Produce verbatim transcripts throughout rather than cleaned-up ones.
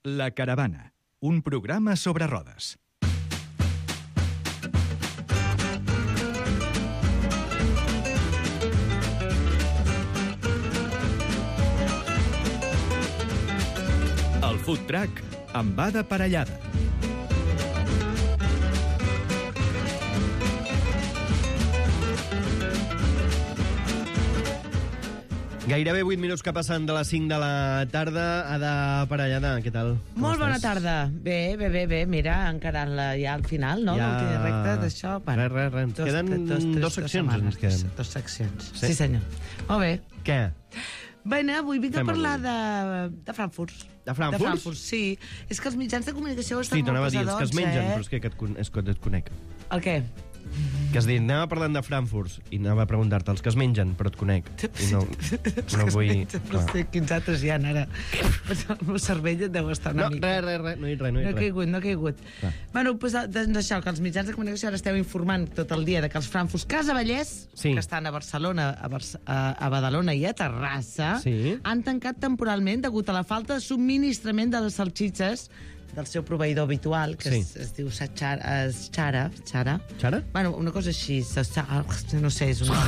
La Caravana, un programa sobre rodes. El food truck amb Ada Parellada. Gairebé vuit minuts que passen de les cinc de la tarda. Ada Parellada, què tal? Com Molt bona estàs? tarda. Bé, bé, bé, bé. Mira, encarant-la ja al final, no? Ja... L'últim recte d'això. Res, res, res. Ens queden tres, dos seccions, setmanes. ens queden. Dos seccions. Sí? Sí, senyor. Molt bé. Què? Bé, avui vinc a Fem parlar avui. de, de Frankfurt. De Frankfurt? De Frankfurt, sí. És que els mitjans de comunicació estan Sí, molt t'anava a dir, els pesadons, que es mengen, eh? però és que, que et, con- és que et conec. El què? Que has dit, anava parlant de Frankfurt i anava a preguntar-te els que es mengen, però et conec. I no, no vull... No clar. sé quins altres hi ha ara. El meu cervell deu estar una No, mica... res, res, res, no he dit res, no he No dit he res. caigut, no he caigut. Clar. Bueno, doncs, doncs això, que els mitjans de comunicació ara esteu informant tot el dia de que els Frankfurts Casa Vallès, Sí. que estan a Barcelona, a, Barce a, a Badalona i a Terrassa, Sí. han tancat temporalment degut a la falta de subministrament de les salsitxes del seu proveïdor habitual, que Sí. es, es diu Xara, Xara, Xara. Xara? Bueno, una cosa així, no sé, és una...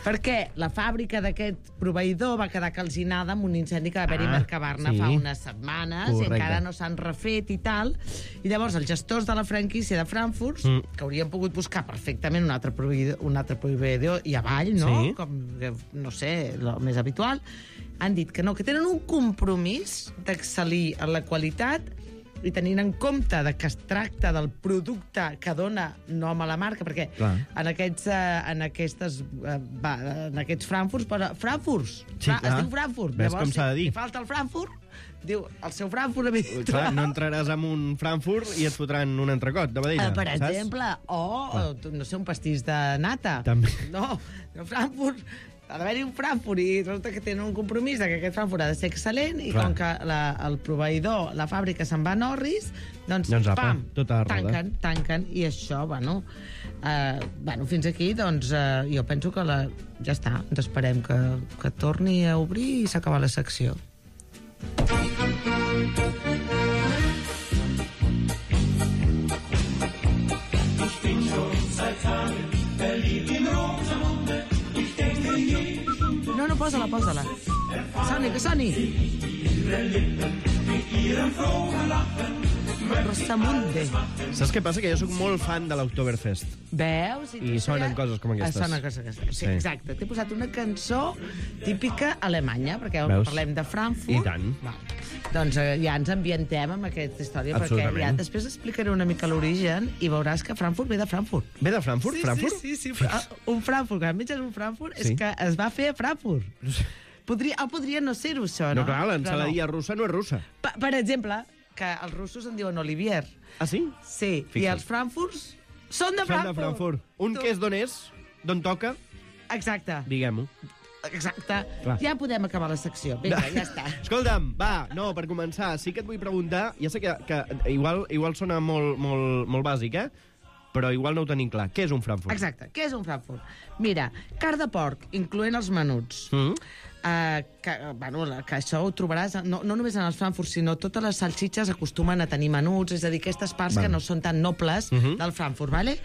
Perquè la fàbrica d'aquest proveïdor va quedar calcinada amb un incendi que va haver-hi Ah, a Mercabarna sí. fa unes setmanes Correcte. i encara no s'han refet i tal. I llavors els gestors de la franquícia de Frankfurt, Mm. que haurien pogut buscar perfectament un altre proveïdor, un altre proveïdor i avall, no? Sí. Com, que, no sé, el més habitual, han dit que no, que tenen un compromís d'excel·lir en la qualitat i tenint en compte de que es tracta del producte que dona nom a la marca, perquè Clar. en aquests, eh, en aquestes, eh, va, en aquests Frankfurts posa Frankfurts. Sí, Fra, es clar. diu Frankfurt. Ves com s'ha de dir. Si falta el Frankfurt, diu el seu Frankfurt habitual. Clar, no entraràs en un Frankfurt i et fotran un entrecot de vedella, Eh, per saps? exemple, o, eh, no sé, un pastís de nata. També. No, no Frankfurt, ha d'haver-hi un Frankfurt i resulta que tenen un compromís de que aquest Frankfurt ha de ser excel·lent i Clar. com que la, el proveïdor, la fàbrica se'n va a Norris, doncs, Doncs apa, pam, tota la roda. tanquen, tanquen, i això, bueno, eh, bueno fins aquí, doncs, eh, jo penso que la, ja està, ens esperem que, que torni a obrir i s'acaba la secció. No, no, posa-la, posa-la. Soni, que soni. Rosamunde. Saps què passa? Que jo sóc molt fan de l'Oktoberfest. Veus? I sonen coses com aquestes. Sonen coses com aquestes. Sí, Sí. exacte. T'he posat una cançó típica alemanya, perquè Veus? parlem de Frankfurt. I tant. Va. Doncs eh, ja ens ambientem amb aquesta història, perquè ja Absolutament. després explicaré una mica l'origen i veuràs que Frankfurt ve de Frankfurt. Ve de Frankfurt? Sí, Frankfurt? sí, sí, sí. Fra un Frankfurt, quan menges un Frankfurt, Sí. és que es va fer a Frankfurt. Podria, o podria no ser-ho, això, no? No, clar, Però l'ensaladia russa no és russa. Per, per exemple, que els russos en diuen Olivier. Ah, sí? Sí, Fixa't. i els Frankfurts són de Són Frankfurt. de Frankfurt. Un Tu- que és d'on és, d'on toca, Exacte, diguem-ho. exacte. Clar. Ja podem acabar la secció. Vinga, ja està. Escolta'm, va, no, per començar, sí que et vull preguntar, ja sé que, que igual, igual sona molt, molt, molt bàsic, eh? Però igual no ho tenim clar. Què és un Frankfurt? Exacte. Què és un Frankfurt? Mira, carn de porc, incloent els menuts. Mm? Uh, que, bueno, la- que això ho trobaràs no, no només en els Frankfurt, sinó totes les salsitxes acostumen a tenir menuts, és a dir, aquestes parts Val. que no són tan nobles Mhm. del Frankfurt, vale?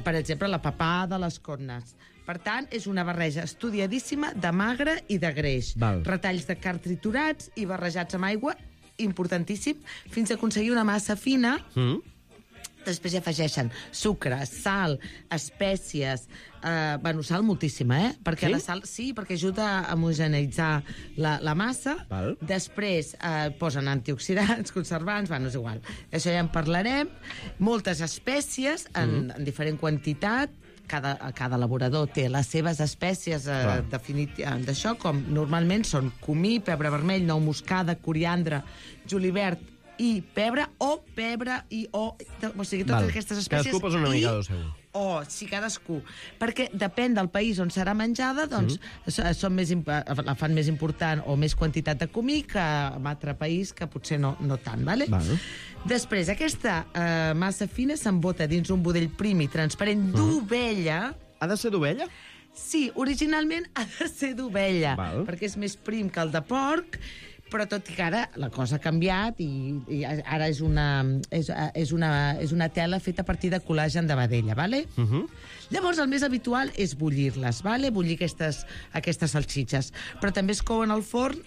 Per exemple, la papada, les cotnes. Per tant, és una barreja estudiadíssima de magre i de greix. Val. Retalls de carn triturats i barrejats amb aigua, importantíssim, fins a aconseguir una massa fina. Mm? Després hi afegeixen sucre, sal, espècies... Eh, bueno, sal moltíssima, eh? Perquè Sí? la sal, sí, perquè ajuda a homogeneitzar la, la massa. Val. Després eh, posen antioxidants, conservants, bueno, és igual. Això ja en parlarem. Moltes espècies, en, mm. en diferent quantitat. Cada, cada elaborador té les seves espècies eh, Clar. definit d'això, com normalment són comí, pebre vermell, nou moscada, coriandre, julivert i pebre, o pebre i o... O sigui, totes Val. aquestes espècies... Cadascú posa una i- mica del seu. O, sí, cadascú. Perquè depèn del país on serà menjada, doncs mm. són més, imp- la fan més important o més quantitat de comí que en altre país, que potser no, no tant, vale? Val. Després, aquesta eh, massa fina s'embota dins un budell prim i transparent d'ovella. Ha de ser d'ovella? Sí, originalment ha de ser d'ovella, Val. perquè és més prim que el de porc, Però tot i que ara la cosa ha canviat i, i ara és una, és, és, una, és una tela feta a partir de col·làgen de vedella, ¿vale? Uh -huh. Llavors, el més habitual és bullir-les, ¿vale? Bullir aquestes, aquestes salsitxes. Però també es couen al forn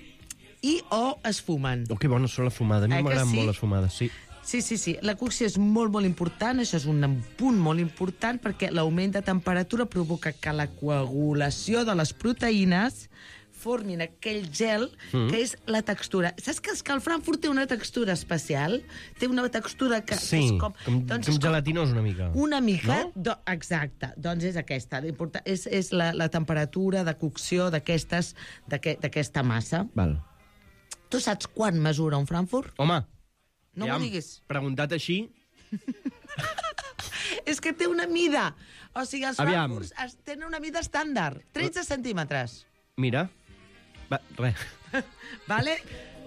i o es fumen. Oh, que bones són les fumades. A mi Eh que m'agraden sí? molt les fumades, sí. Sí, sí, sí. La cocció és molt, molt important. Això és un punt molt important perquè l'augment de temperatura provoca que la coagulació de les proteïnes formin aquell gel mm. que és la textura. Saps que, que el Frankfurt té una textura especial? Té una textura que Sí, és com... com, doncs com és gelatinós una mica. Una mica, No? do, exacte. Doncs és aquesta. L'important és, és la, la temperatura de cocció d'aquestes d'aquesta massa. Val. Tu saps quan mesura un Frankfurt? Home, No ja m'ho diguis. preguntat així... És que té una mida. O sigui, els Aviam. Frankfurts es- tenen una mida estàndard. tretze centímetres. Mira, va, res, Vale?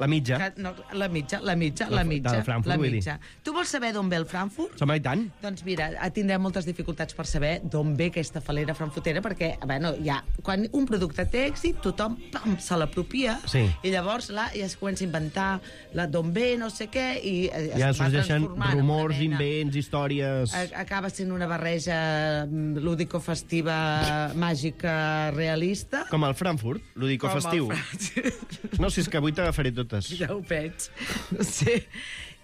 la mitja. Que, no, la mitja, la mitja, La- la mitja. del Frankfurt, la vull dir. mitja. Tu vols saber d'on ve el Frankfurt? Som i tant. Doncs mira, tindrem moltes dificultats per saber d'on ve aquesta falera frankfurtera, perquè, bueno, ja, quan un producte té èxit, tothom pam, se l'apropia, Sí. i llavors là, ja es comença a inventar la d'on ve, no sé què, i eh, Ja es va sorgeixen transformant en una rumors, mena- invents, històries... A- Acaba sent una barreja mm, lúdico-festiva, màgica, realista. Com el Frankfurt, lúdico Com el festiu. Frankfurt. No, si és que avui t'agafaré totes. Ja ho veig. No sé.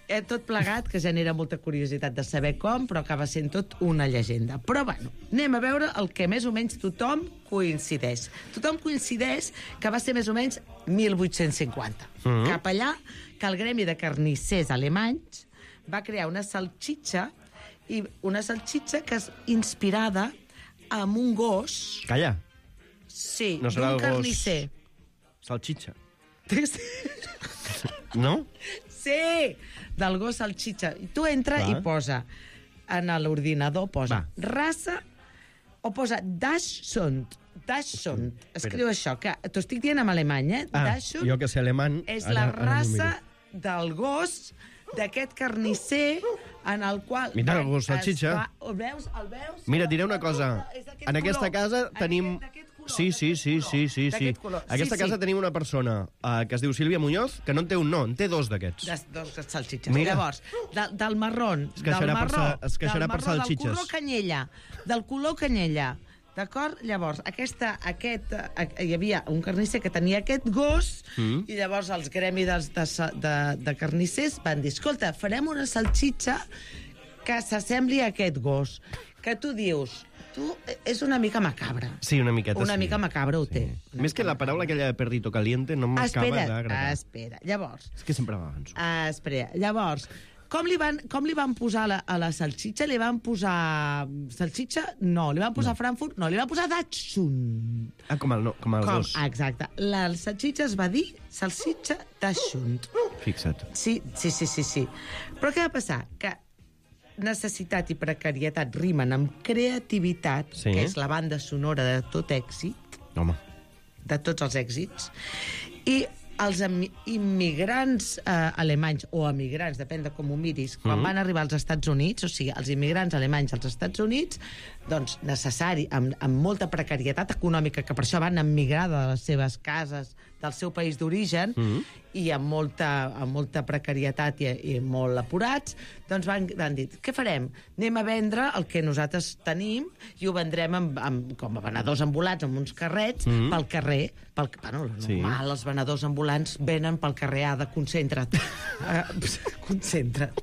Eh, tot plegat, que genera molta curiositat de saber com, però acaba sent tot una llegenda. Però, bueno, anem a veure el que més o menys tothom coincideix. Tothom coincideix que va ser més o menys mil vuit-cents cinquanta. Mhm. Cap allà, que el gremi de carnissers alemanys va crear una salxitxa, i una salxitxa que és inspirada en un gos, Calla, sí, No serà d'un el gos- carnisser. salxitxa. Sí. No? Sí, del gos salxitxa. I tu entra Va. i posa en l'ordinador, posa Va. raça o posa Dachshund. Dachshund. Escriu això, que t'ho estic dient en alemany, eh? Ah, Dachshund jo que sé alemany... és ara- la ara m'ho raça miro. del gos d'aquest carnisser en el qual... Mira, el van- gos salxitxa. es va- El veus? El veus? Mira, et diré una cosa. És d'aquest En aquesta color. casa Aquest- tenim... d'aquest color, Sí, sí, d'aquest sí, color, sí, sí, sí. d'aquest color. En aquesta Sí, casa sí. tenim una persona uh, que es diu Sílvia Muñoz, que no en té un no, en té dos d'aquests. De, dos salxitxes. Mira. Llavors, de, del marrón, Es queixarà del per marró, sa- es queixarà del per marró, salxitxes. del color canyella, del color canyella, d'acord? Llavors, aquesta, aquest, eh, hi havia un carnisser que tenia aquest gos, Mm. i llavors els gremis de, de, de, de carnissers van dir, escolta, farem una salxitxa que s'assembli a aquest gos. Que tu dius, tu, és una mica macabra. Sí, una miqueta Una sí. mica macabra ho té. Una Més que mica la paraula aquella de perrito caliente no m'acaba Espera, d'agradar. espera. Llavors, És que sempre m'avanço. Ah, espera, llavors, com li van, com li van posar a la, a la salxitxa? Li van posar salxitxa? No. Li van posar no. Frankfurt? No. Li van posar Dachshund. Ah, com el, no, com el Com? gos. Ah, exacte. La salxitxa es va dir salxitxa Dachshund. Fixa't. Sí, sí, sí, sí, sí. Però què va passar? Que necessitat i precarietat rimen amb creativitat, Sí. que és la banda sonora de tot èxit, Home. de tots els èxits, i els emi- immigrants eh, alemanys, o emigrants, depèn de com ho miris, quan Mhm. van arribar als Estats Units, o sigui, els immigrants alemanys als Estats Units, doncs necessari, amb, amb molta precarietat econòmica, que per això van emigrar de les seves cases, del seu país d'origen, Mhm. i amb molta, amb molta precarietat i, i molt apurats, doncs van, van dir, què farem? Anem a vendre el que nosaltres tenim i ho vendrem amb, amb, com a venedors ambulants, amb uns carrets, Mhm. pel carrer. Pel, bueno, el Sí. normal, els venedors ambulants venen pel carrer, ha de concentra't. uh, concentra't.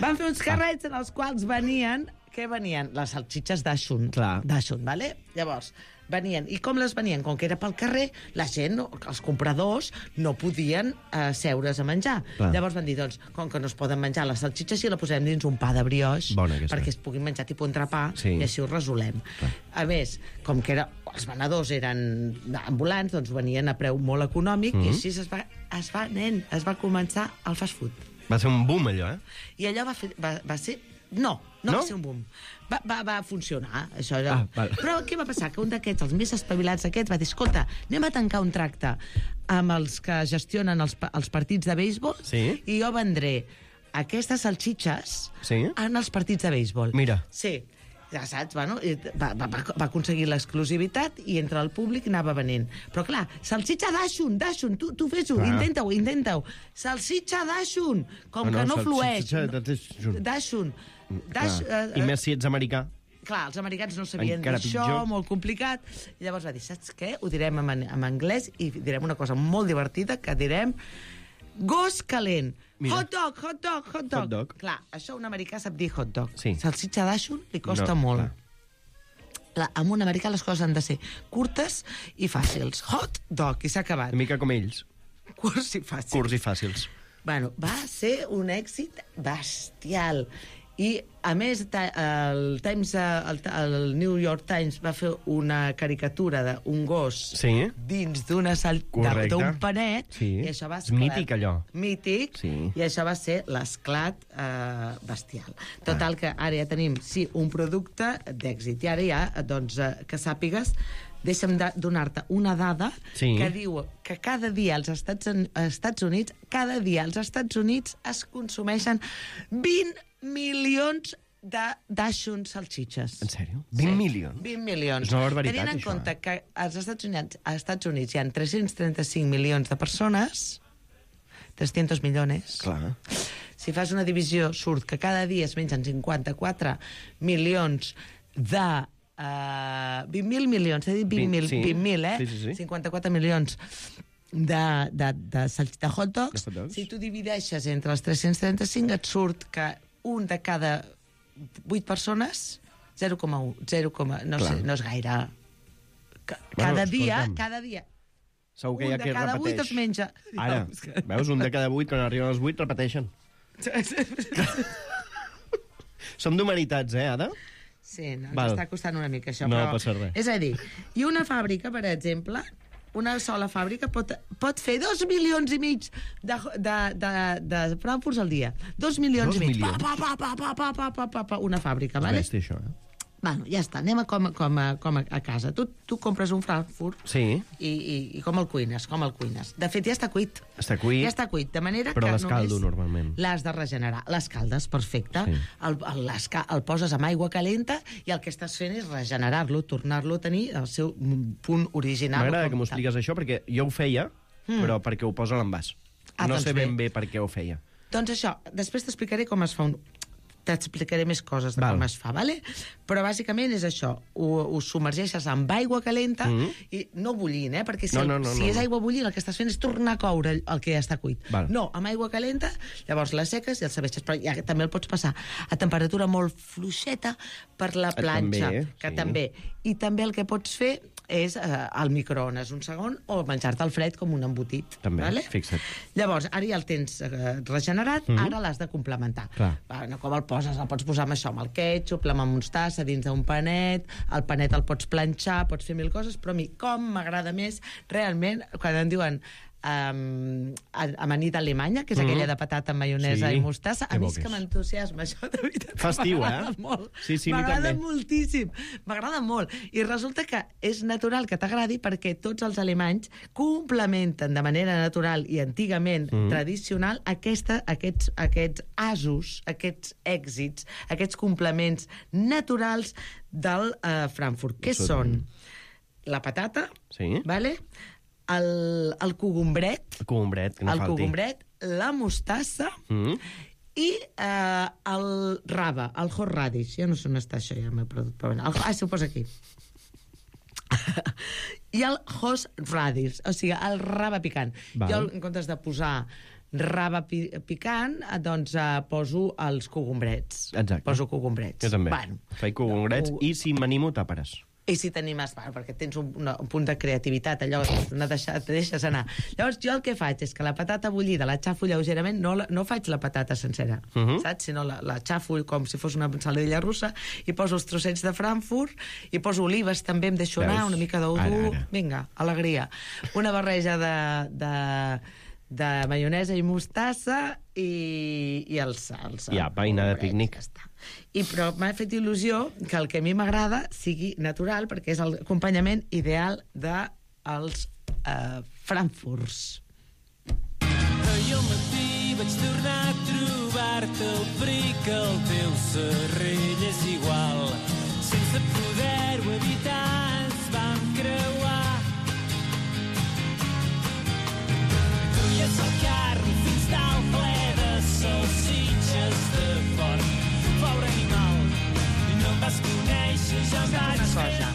Van fer uns carrets en els quals venien... Què venien? Les salxitxes Dachshund. Clar. Dachshund, vale? Llavors, venien. I com les venien? Com que era pel carrer, la gent, no- els compradors, no podien eh, seure's a menjar. Clar. Llavors van dir, doncs, com que no es poden menjar les salxitxes, si la posem dins un pa de brioix, Bona aquesta. perquè es puguin menjar tipus entrepà, Sí. i així ho resolem. Clar. A més, com que era, els venedors eren ambulants, doncs venien a preu molt econòmic, Mhm. i així es va, es va, nen, es va començar el fast food. Va ser un boom, allò, eh? I allò va, fer, va, va ser... No, no, No? va ser un boom. Va, va, va funcionar, això. Allò. Ah, val. Però què va passar? Que un d'aquests, els més espavilats aquests, va dir, escolta, anem a tancar un tracte amb els que gestionen els, pa- els partits de béisbol, Sí. i jo vendré aquestes salxitxes Sí. en els partits de béisbol. Mira. Sí. ja saps, bueno, va, va, va aconseguir l'exclusivitat i entre el públic anava venent. Però clar, salsitxa d'Aixun, d'Aixun, tu, tu fes-ho, intenta-ho, intenta-ho. Salsitxa d'Aixun, com no, no, que no flueix. D'Aixun. I més si ets americà. Clar, els americans no sabien d'això, molt complicat. I llavors va dir, saps què? Ho direm en, en anglès i direm una cosa molt divertida, que direm gos calent. Mira. Hot dog, hot dog, hot dog. Hot dog. Clar, això un americà sap dir hot dog. Sí. Salsitxa d'Aixun li costa no, molt. Clar, amb un americà les coses han de ser curtes i fàcils. Hot dog, i s'ha acabat. Una mica com ells. Curts i fàcils. Curts i fàcils. Bueno, va ser un èxit bestial. I, a més, el, Times, el, el New York Times va fer una caricatura d'un gos sí. dins d'una sal... d'un panet, sí. i això va ser... mític, allò. Mític, sí. I això va ser l'esclat eh, bestial. Total, ah. que ara ja tenim, sí, un producte d'èxit. I ara ja, doncs, eh, que sàpigues, deixa'm de donar-te una dada sí. que diu que cada dia als Estats, Estats Units, cada dia als Estats Units es consumeixen vint milions d'Aixun salsitxes. En sèrio? vint sí. milions? vint milions. És una barbaritat, Tenint en això, compte eh? que als Estats Units, als Estats Units hi ha tres-cents trenta-cinc milions de persones, tres-cents milions. Clar. Si fas una divisió, surt que cada dia es mengen cinquanta-quatre milions de... Uh, vint mil milions, he dit vint mil, sí. vint mil, eh? Sí, sí, sí. cinquanta-quatre milions de, de, de, de hot dogs. De hot dogs. Si tu divideixes entre els tres-cents trenta-cinc, et surt que un de cada vuit persones, zero coma un, zero, no, sé, no és gaire. Cada bueno, dia, escolta'm. cada dia, segur que hi ha un qui de cada repeteix. vuit es menja. Ara, veus, un de cada vuit, quan arriben els vuit, repeteixen. Som d'humanitats, eh, Ada? Sí, no, ens està costant una mica això. No però... passa res. És a dir, i una fàbrica, per exemple, una sola fàbrica pot, pot fer dos milions i mig de, de, de, de Frankfurts al dia. Dos milions dos i mig. Milions. Pa, pa, pa, pa, pa, pa, pa, pa, pa, una fàbrica, és vale? Bèstia, això, eh? Bueno, ja està, anem a com, com, a, com a casa. Tu, tu compres un Frankfurt sí. i, i, i com el cuines, com el cuines. De fet, ja està cuit. Està cuit. Ja està cuit, de manera però que l'escaldo, normalment. L'has de regenerar. L'escaldes, perfecte. Sí. El, el, el poses amb aigua calenta i el que estàs fent és regenerar-lo, tornar-lo a tenir el seu punt original. M'agrada que m'ho expliques això, perquè jo ho feia, mm. però perquè ho posa a l'envàs. Ah, no doncs sé ben bé. bé per què ho feia. Doncs això, després t'explicaré com es fa un... T'explicaré més coses de Val. com es fa, vale? Però bàsicament és això, ho, ho submergeixes amb aigua calenta mm -hmm. i no bullint, eh? Perquè si, no, no, no, si no, és aigua bullint el que estàs fent és tornar a coure el, el que ja està cuit. Val. No, amb aigua calenta, llavors la seques i el serveixes, però ja també el pots passar a temperatura molt fluixeta per la planxa, també, que sí. també. I també el que pots fer és eh, al microones un segon o menjar-te al fred com un embotit. També, vale? fixa't. Llavors, ara ja el tens eh, regenerat, mm -hmm. ara l'has de complementar. Bueno, com el poses? El pots posar amb això, amb el ketchup, amb mostassa, dins d'un panet, el panet el pots planxar, pots fer mil coses, però a mi, com m'agrada més, realment, quan em diuen Um, amanida alemanya, que és mm. aquella de patata amb maionesa sí, i mostassa, a mi és que m'entusiasma això, de veritat. Festiu, eh? Molt. Sí, sí, m'agrada moltíssim, m'agrada molt. I resulta que és natural que t'agradi perquè tots els alemanys complementen de manera natural i antigament mm. tradicional aquesta, aquests, aquests asos, aquests èxits, aquests complements naturals del uh, Frankfurt. Què són? La patata, sí. vale? El, el cogombret, el cogombret, que no el falti. cogombret, la mostassa mm. i eh, el raba, el horseradish. Ja no sé on està això, ja m'he perdut. Però bueno, el, ah, s'ho posa aquí. I el horseradish, o sigui, el raba picant. Val. Jo, en comptes de posar raba pi picant, doncs eh, poso els cogombrets. Exacte. Poso cogombrets. Jo també. Bueno, faig cogombrets no, i si m'animo tàperes. I si t'animes, bueno, perquè tens un, una, un punt de creativitat, allò no deixa, te deixes anar. Llavors, jo el que faig és que la patata bullida la xafo lleugerament, no, la, no faig la patata sencera, uh -huh. saps? Sinó la, la xafo com si fos una ensaladilla russa i poso els trossets de Frankfurt i poso olives també, em deixo anar, una mica d'ou dur, vinga, alegria. Una barreja de... de de maionesa i mostassa i, i el sal. I apa, i anar de pícnic. Ja I, però m'ha fet il·lusió que el que a mi m'agrada sigui natural, perquè és l'acompanyament ideal dels uh, Frankfurts. Ahir al matí vaig tornar a trobar-te el fric, el teu serrell és igual. sense poder-ho evitar ens vam creuar. Duies el carro fins dalt ple de salsitxes de porc. Pobre animal, i no em vas conèixer, ja em vaig Una cosa,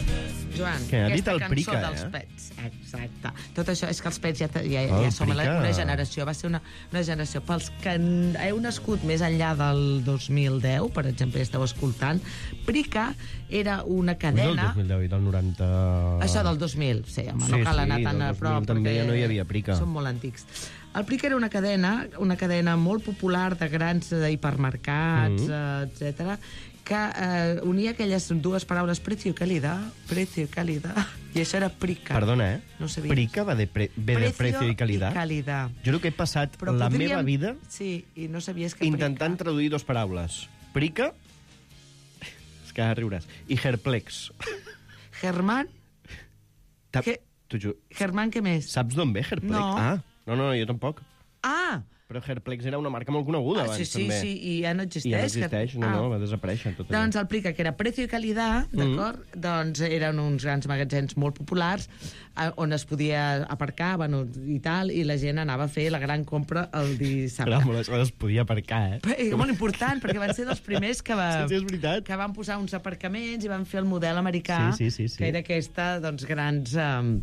Joan, Què, ha dit aquesta el cançó Prica, dels eh? Pets. Exacte. Tot això és que els Pets ja, ja, El ja som la, Prica. una generació, va ser una, una generació. Pels que n- heu nascut més enllà del dos mil deu, per exemple, esteu escoltant, Prica era una Del cadena... dos mil deu i del noranta... Això del dos mil, sí, home, Sí, no cal sí, anar tan del a dos mil prop. també perquè ja no hi havia Prica. Són molt antics. El Prica era una cadena, una cadena molt popular de grans eh, hipermercats, Mm. eh, etcètera, que eh, unia aquelles dues paraules precio i calidad, precio i calidad, i això era Prica. Perdona, eh? No ho sabies. Prica va de, pre... ve de precio i calidad. I calidad. Jo crec que he passat Però la podríem- meva vida Sí, i no sabies que intentant Prica... traduir dos paraules. Prica, és que riuràs, i herplex. Germán, Ta- Què? T'ho juro. Germán, què més? Saps d'on ve herplex? No. Ah, no, no, jo tampoc. Ah! Però Herplex era una marca molt coneguda ah abans, sí, sí, també. sí, i ja no existeix. I ja no que- existeix, no, Ah. no, va desaparèixer tot allò. Doncs el Prica, que era precio i calidad, d'acord? Mm. Doncs eren uns grans magatzems molt populars eh, on es podia aparcar, bueno, i tal, i la gent anava a fer la gran compra el dissabte. Era molt, es podia aparcar, eh? Però, eh, molt important, perquè van ser dels primers que, va, Sí, sí, és veritat. que van posar uns aparcaments i van fer el model americà, Sí, sí, sí, sí. que era aquesta, doncs, grans... Eh,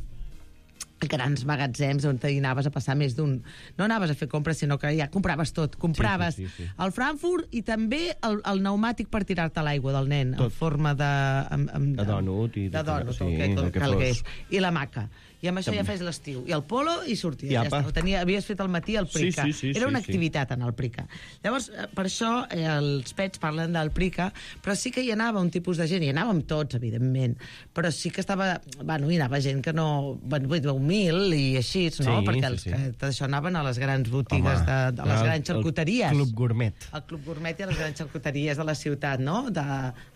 grans magatzems on hi anaves a passar més d'un... No anaves a fer compres, sinó que ja compraves tot. Compraves Sí, sí, sí, sí. el Frankfurt i també el, el pneumàtic per tirar-te l'aigua del nen, Tot. en forma de... Amb, amb, De dònut i de tot allò, dònut, sí, el que, el que calgués. fos. I la maca. I amb això També. ja fes l'estiu. I el polo i sorties. I Ja apa. està. Ho tenia, havies fet al matí el Prica. Sí, sí, sí, Era una sí, sí. activitat en el Prica. Llavors, eh, per això eh, els Pets parlen del Prica, però sí que hi anava un tipus de gent, i anàvem tots, evidentment, però sí que estava... Bueno, hi anava gent que no... Bueno, vull dir, humil i així, no? Sí, Perquè sí, els sí. que d'això anaven a les grans botigues, Home, de, de les el- grans xarcuteries. El Club Gourmet. El Club Gourmet i les grans xarcuteries de la ciutat, no? De,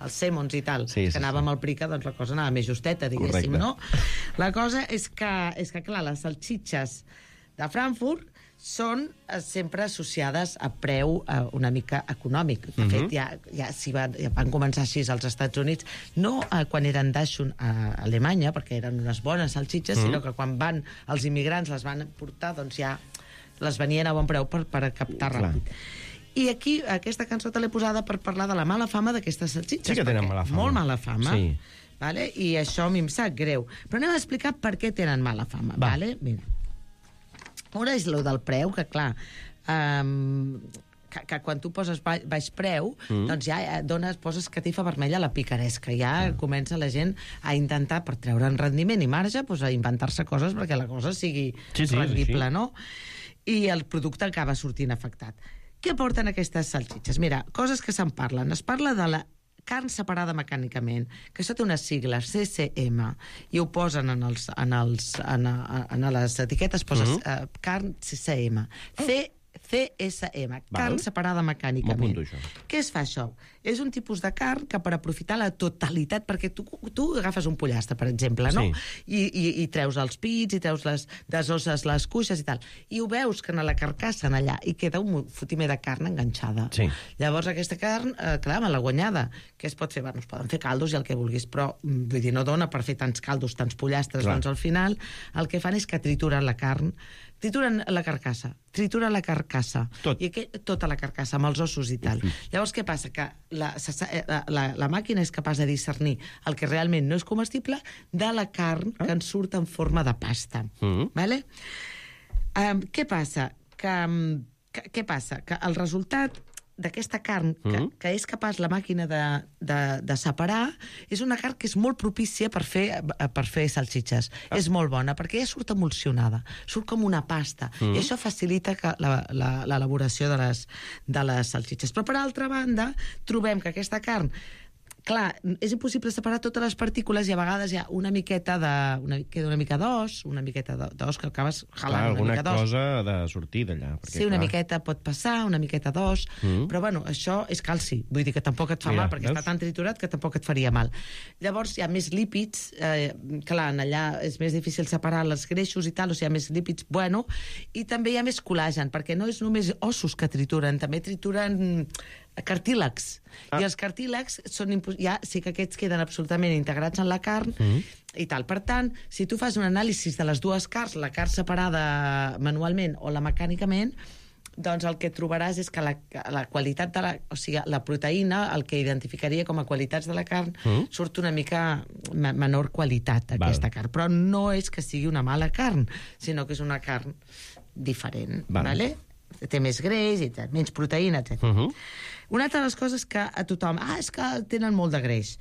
els Sèmons i tal. Sí, sí, que anàvem sí. al Prica, doncs la cosa anava més justeta, diguéssim, Correcte. no? La cosa és que, és que clar, les salxitxes de Frankfurt són eh, sempre associades a preu eh, una mica econòmic. De Mhm. fet, ja, ja, si van, ja van començar així als Estats Units, no eh, quan eren Dachshund a Alemanya, perquè eren unes bones salxitxes, Mhm. sinó que quan van els immigrants les van portar, doncs ja les venien a bon preu per, per captar Clar. ràpid. I aquí, aquesta cançó te l'he posada per parlar de la mala fama d'aquestes salxitxes. Sí que tenen perquè mala fama. Molt mala fama. Sí. Vale? I això a mi em sap greu. Però anem a explicar per què tenen mala fama. Va. Vale? Mira. Una és lo del preu, que clar... Um, que, que quan tu poses baix, baix preu, mm. doncs ja eh, dones, poses catifa vermella a la picaresca. Ja mm. comença la gent a intentar, per treure'n rendiment i marge, doncs a inventar-se coses perquè la cosa sigui Sí, sí, és rendible, així. no? I el producte acaba sortint afectat. Què porten aquestes salxitxes? Mira, coses que se'n parlen. Es parla de la carn separada mecànicament, que això té unes sigles, C C M, i ho posen en, els, en, els, en, a- en les etiquetes, poses Mhm. uh, carn C C M. C C S M, carn Val. separada mecànicament. M'apunto això. Què es fa això? És un tipus de carn que per aprofitar la totalitat, perquè tu, tu agafes un pollastre, per exemple, no? I, i, i treus els pits, i treus les, desosses les cuixes i tal, i ho veus que en la carcassa en allà i queda un fotimer de carn enganxada. Sí. Llavors aquesta carn, eh, clar, me l'ha guanyada. Què es pot fer? Bueno, es poden fer caldos i el que vulguis, però mm, vull dir, no dona per fer tants caldos, tants pollastres, Clar. doncs al final el que fan és que trituren la carn, trituren la carcassa, trituren la carcassa, Tot. i aqu tota la carcassa, amb els ossos i tal. Llavors, què passa? Que la, se sa- eh, la, la màquina és capaç de discernir el que realment no és comestible de la carn que en surt en forma de pasta. Mhm. Vale? Um, què passa? Que, um, que, què passa? Que el resultat d'aquesta carn que, Mhm. que és capaç la màquina de, de, de separar és una carn que és molt propícia per fer, per fer salsitxes. Ah. És molt bona, perquè ja surt emulsionada, surt com una pasta, Mhm. i això facilita que la- la- l'elaboració de, les, de les salsitxes. Però, per altra banda, trobem que aquesta carn, clar, és impossible separar totes les partícules i a vegades hi ha una miqueta de... Una, queda una mica d'os, una miqueta de- d'os que acabes Clar, jalant una alguna mica d'os. cosa ha de sortir d'allà. perquè, Sí, una clar, miqueta pot passar, una miqueta d'os, Mm. però bueno, això és calci, vull dir que tampoc et fa Mira, mal, perquè veus? està tan triturat que tampoc et faria mal. Llavors hi ha més lípids, eh, clar, en allà és més difícil separar els greixos i tal, o sigui, hi ha més lípids, bueno, i també hi ha més col·làgen, perquè no és només ossos que trituren, també trituren cartílegs. Ah. I els cartílegs són impo- ja sí que aquests queden absolutament integrats en la carn Mm. i tal. Per tant, si tu fas un anàlisi de les dues carns, la carn separada manualment o la mecànicament, doncs el que trobaràs és que la, la qualitat de la... O sigui, la proteïna, el que identificaria com a qualitats de la carn, Mm. surt una mica me- menor qualitat, aquesta Val. carn. Però no és que sigui una mala carn, sinó que és una carn diferent, Val. vale? Té més greix, i tal, menys proteïna, etcètera. Uh -huh. Una altra de les coses que a tothom... Ah, és que tenen molt de greix.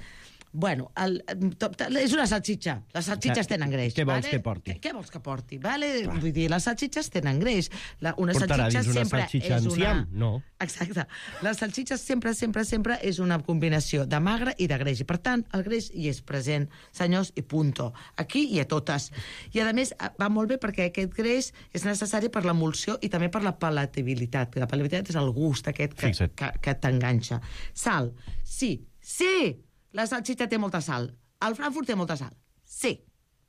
Bueno, el, to- to- és una salsitxa. Les salsitxes Ja, tenen greix. què vols vale? que porti? Què, què vols que porti? Vale? Vull dir, les salsitxes tenen greix. La, una Portarà salsitxa dins una sempre salsitxa és enciam? una... No. Exacte. Les salsitxes sempre, sempre, sempre és una combinació de magre i de greix. I, per tant, el greix hi és present, senyors, i punto. Aquí i a totes. I, a més, va molt bé perquè aquest greix és necessari per l'emulsió i també per la palatabilitat. La palatabilitat és el gust aquest que, Fixa't. que, que t'enganxa. Sal. Sí. Sí! La salsitxa té molta sal. El Frankfurt té molta sal. Sí.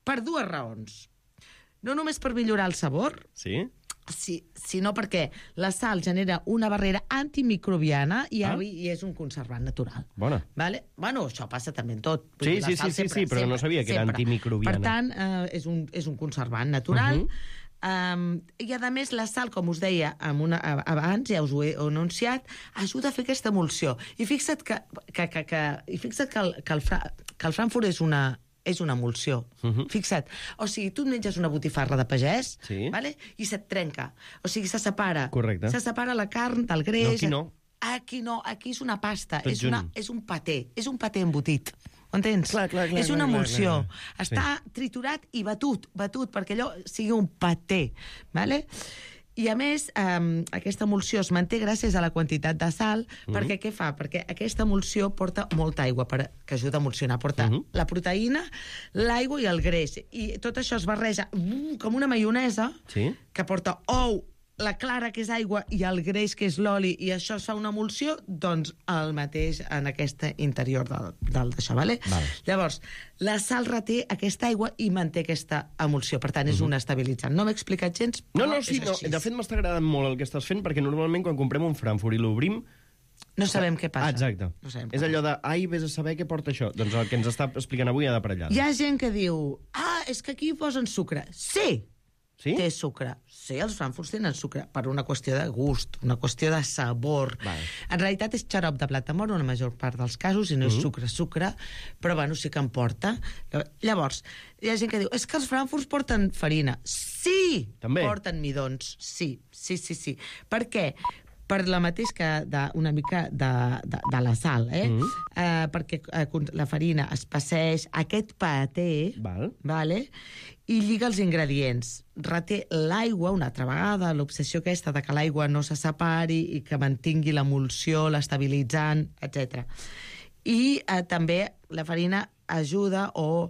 Per dues raons. No només per millorar el sabor, Sí? sí, sinó perquè la sal genera una barrera antimicrobiana i, Ah. i és un conservant natural. Bona. Vale? Bueno, això passa també en tot. Sí, La sí, sal sí, sí, sí, però no sabia que era sempre. antimicrobiana. Per tant, eh, és, un, és un conservant natural. Uh -huh. Um, I, a més, la sal, com us deia amb una, abans, ja us ho he anunciat, ajuda a fer aquesta emulsió. I fixa't que, que, que, que, i fixa't que, el, que, el, Fra, que el Frankfurt és una, és una emulsió. Uh -huh. Fixa't. O sigui, tu et menges una botifarra de pagès, Sí. vale? I se't trenca. O sigui, se separa. Correcte. Se separa la carn del greix. No, aquí no. Aquí no, aquí és una pasta. Tot És, una, junt. és un paté. És un paté embotit. Ho entens? Clar, clar, clar, és una clar, clar, emulsió. clar. Està triturat i batut, batut, perquè allò sigui un paté. Vale? I, a més, eh, aquesta emulsió es manté gràcies a la quantitat de sal, Mhm. perquè què fa? Perquè aquesta emulsió porta molta aigua, per, que ajuda a emulsionar. Porta Mhm. la proteïna, l'aigua i el greix. I tot això es barreja uh, com una maionesa, Sí? que porta ou, la clara, que és aigua, i el greix, que és l'oli, i això es fa una emulsió, doncs el mateix en aquest interior del, del d'això, vale? Val. Llavors, la sal reté aquesta aigua i manté aquesta emulsió. Per tant, és un estabilitzant. No m'he explicat gens, No, però no, sí, és no. així. De fet, m'està agradant molt el que estàs fent, perquè normalment quan comprem un Frankfurt i l'obrim... No sabem què passa. Ah, exacte. No sabem És què allò de, ai, vés a saber què porta això. Doncs el que ens està explicant avui ha de per allà. Hi ha gent que diu, ah, és que aquí hi posen sucre. Sí, Sí? té sucre. Sí, els Frankfurts tenen sucre per una qüestió de gust, una qüestió de sabor. Val. En realitat és xarop de blat de moro en la major part dels casos, i no és Mhm. sucre, sucre, però bueno, sí que en porta. Llavors, hi ha gent que diu, és que els Frankfurts porten farina. Sí! També? Porten midons, sí, sí, sí, sí. Per què? Per la mateix que de, una mica de, de, de la sal, eh? Mhm. eh perquè eh, la farina es passeix aquest paté, Val. vale? I lliga els ingredients. Reté l'aigua, una altra vegada, l'obsessió aquesta de que l'aigua no se separi i que mantingui l'emulsió, l'estabilitzant, etcètera. I eh, també la farina ajuda o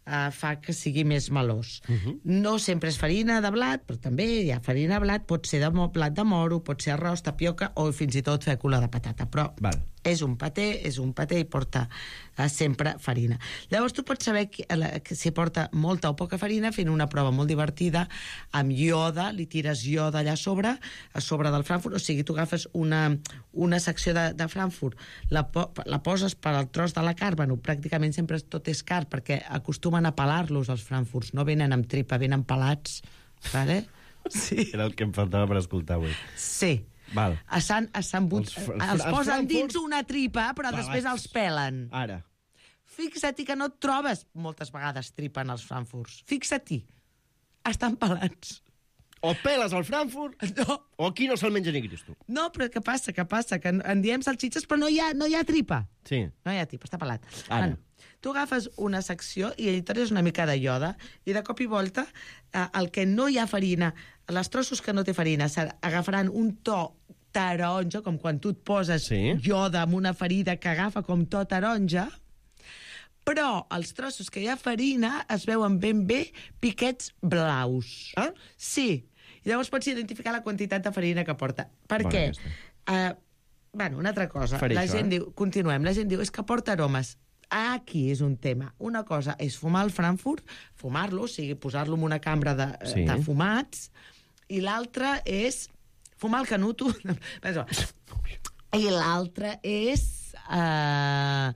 eh, fa que sigui més melós. Uh -huh. No sempre és farina de blat, però també hi ha farina de blat, pot ser de mo- blat de moro, pot ser arròs, tapioca o fins i tot fècula de patata. Però Val. és un paté, és un paté i porta eh, sempre farina. Llavors tu pots saber que, la, que si porta molta o poca farina fent una prova molt divertida amb ioda, li tires ioda allà a sobre, a sobre del Frankfurt, o sigui, tu agafes una, una secció de, de Frankfurt, la, po la poses per al tros de la carn, bueno, pràcticament sempre tot és carn, perquè acostumen a pelar-los els Frankfurts, no venen amb tripa, venen pelats, vale? Sí. Era el que em faltava per escoltar avui. Sí. Val. Estan, estan but... Els els, fr- els els posen Frankfurt- dins una tripa, però Pelats. després els pelen. Ara. Fixa't que no et trobes moltes vegades tripa en els Frankfurts. Fixa't-hi. Estan pelats. O peles al Frankfurt, No, o aquí no se'l menja ni Cristo. no, però què passa? Què passa? Que en diem salxitxes, però no hi ha, no hi ha tripa. Sí. No hi ha tripa, està pelat. Ara. Bueno, tu agafes una secció i hi tires una mica de ioda i de cop i volta eh, el que no hi ha farina, les trossos que no té farina, agafaran un to taronja, com quan tu et poses Sí. ioda amb una ferida que agafa com to taronja, però els trossos que hi ha farina es veuen ben bé piquets blaus. Ah? Sí. I llavors pots identificar la quantitat de farina que porta. Per Bona què? aquesta. Uh, bueno, una altra cosa. Faré la això, gent eh? diu, continuem, la gent diu, és que porta aromes. Aquí és un tema. Una cosa és fumar el Frankfurt, fumar-lo, o sigui, posar-lo en una cambra de, Sí. de fumats, i l'altra és fumar el canuto. I l'altre és uh,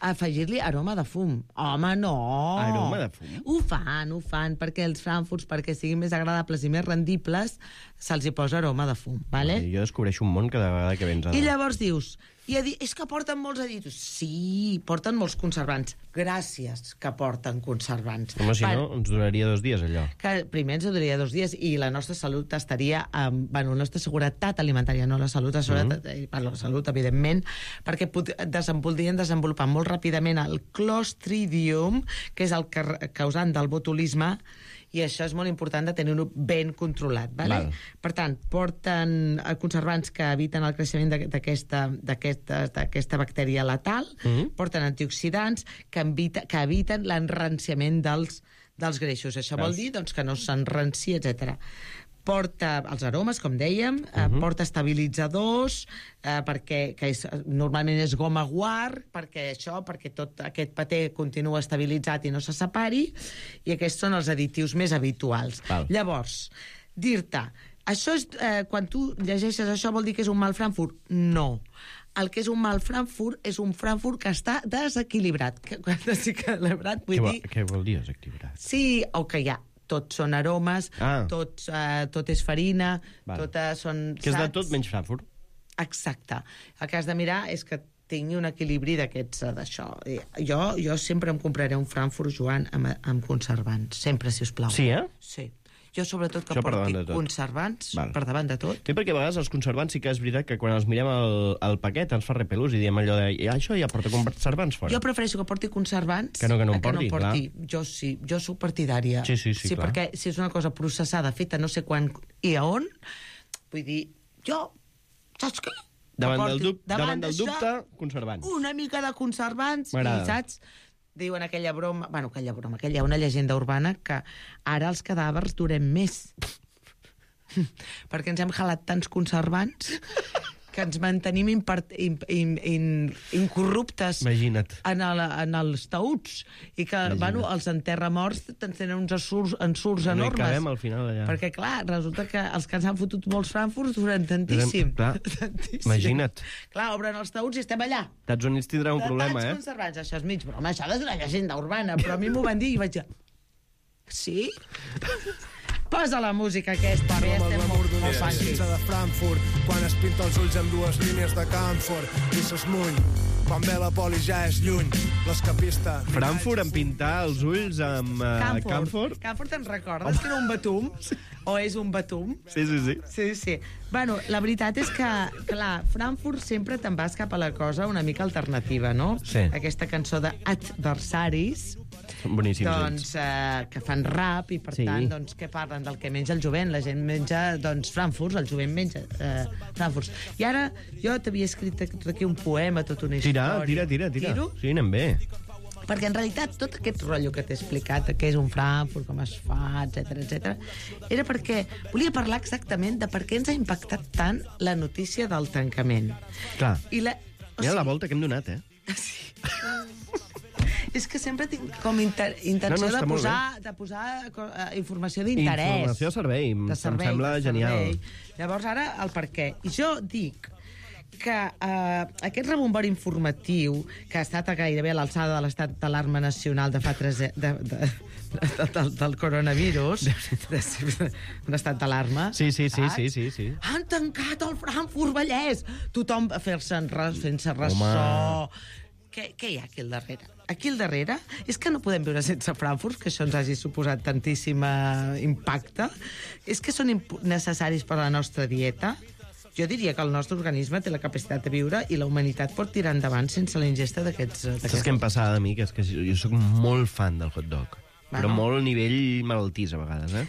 afegir-li aroma de fum. Home, no! Aroma de fum? Ho fan, ho fan, perquè els frankfurts, perquè siguin més agradables i més rendibles, se'ls hi posa aroma de fum, vale? Jo descobreixo un món cada vegada que vens a... I llavors dius, i a dir, és que porten molts aditius. Sí, porten molts conservants. Gràcies que porten conservants. Home, si Va, no, ens duraria dos dies, allò. que primer ens duraria dos dies i la nostra salut estaria amb, bueno, la nostra seguretat alimentària, no la salut, la seguretat, mm -hmm. la salut, evidentment, perquè desem, podrien desenvolupar molt ràpidament el Clostridium, que és el causant del botulisme, i això és molt important de tenir-ho ben controlat. Vale? Val. Per tant, porten conservants que eviten el creixement d'aquesta d'aquesta bactèria letal, mm -hmm. porten antioxidants que, evita, que eviten l'enranciament dels, dels greixos. Això Veus? vol dir doncs, que no s'enranci, etcètera. Porta els aromes, com dèiem, uh -huh. porta estabilitzadors, eh, perquè que és, normalment és goma guar, perquè això, perquè tot aquest paté continua estabilitzat i no se separi, i aquests són els additius més habituals. Val. Llavors, dir-te, això és, eh, quan tu llegeixes això vol dir que és un mal Frankfurt? No. El que és un mal Frankfurt és un Frankfurt que està desequilibrat. Que, quan desequilibrat vull Què, vol, dir... què vol dir desequilibrat? Sí, o que hi ha tots són aromes, Ah. tots, uh, tot és farina, Val. totes són... Que és de saps? tot menys Frankfurt. Exacte. El que has de mirar és que tingui un equilibri d'aquests, eh, d'això. Eh, Jo, jo sempre em compraré un Frankfurt, Joan, amb, amb conservants. Sempre, si us plau. Sí, eh? Sí. Jo, sobretot, que Això per davant porti de tot. conservants Val. per davant de tot. Sí, perquè a vegades els conservants sí que és veritat que quan els mirem el, el paquet ens fa repelús i diem allò de "I això ja porta conservants fora". Jo prefereixo que porti conservants Que no que no en a que porti, no porti. Jo sí, jo soc partidària. Sí, sí, sí, sí clar. perquè si és una cosa processada, feta no sé quan i a on, vull dir, jo, saps què? Que Davant del, porti- dub, davant del d'això, dubte, conservants. una mica de conservants, M'agrada. i saps? Diuen aquella broma, bueno, aquella broma, aquella, una llegenda urbana que ara els cadàvers durem més. Perquè ens hem jalat tants conservants que ens mantenim impart, in, in, in, incorruptes Imagina't. en, el, en els taüts i que, Imagina't. bueno, els enterramorts tenen uns ensurts, ensurts No hi enormes. cabem al final allà. Perquè, clar, resulta que els que ens han fotut molts Frankfurts duren tantíssim. Clar, tantíssim. imagina't. Clar, obren els taüts i estem allà. Estats Units tindrà un De problema, tants eh? conservants. Això és mig broma, això és una llegenda urbana, però a mi m'ho van dir i vaig dir... Sí? Posa la música aquesta, bé, Som el estem glamour molt, d'una molt funky. salsitxa de Frankfurt quan es pinta els ulls amb dues línies de Camfort i s'esmuny quan ve la poli ja és lluny l'escapista Frankfurt en pintar els ulls amb uh, Camfort. Camfort. Camfort, te'n recordes que era un batum? O és un batum? Sí, sí, sí. Sí, sí. Bueno, la veritat és que, clar, Frankfurt sempre te'n vas cap a la cosa una mica alternativa, no? Sí. Aquesta cançó d'adversaris, Són boníssims doncs, eh, que fan rap i, per Sí. tant, doncs, què parlen? Del que menja el jovent. La gent menja, doncs, Frankfurts, el jovent menja eh, Frankfurts. I ara, jo t'havia escrit tot aquí un poema, tota una Tira, història. tira, tira, tira. Tiro? Sí, anem bé. Perquè, en realitat, tot aquest rotllo que t'he explicat, que és un Frankfurt, com es fa, etcètera, etcètera, era perquè volia parlar exactament de per què ens ha impactat tant la notícia del tancament. Clar. I la... o Mira la sigui, volta que hem donat, eh? Sí. És que sempre tinc com inter intenció No, no, està de, molt posar, de posar uh, informació d'interès. Informació a servei. De servei, em sembla de genial. servei. Llavors, ara, el per què. I jo dic que eh, aquest rebombori informatiu, que ha estat gairebé a l'alçada de l'estat d'alarma nacional de fa tres... De, de, de, de, del, del coronavirus, de, de, un estat d'alarma... Sí, sí, sí, saps? sí, sí, sí. Han tancat el Frankfurt Vallès! Tothom a fer-se'n res, fent-se ressò... Què, què hi ha aquí al darrere? Aquí al darrere és que no podem viure sense Frankfurt, que això ens hagi suposat tantíssim impacte. És que són necessaris per a la nostra dieta. Jo diria que el nostre organisme té la capacitat de viure i la humanitat pot tirar endavant sense la ingesta d'aquests... Saps què em passava a mi? Que és que jo sóc molt fan del hot dog. Però Bueno. molt a nivell malaltís, a vegades, eh?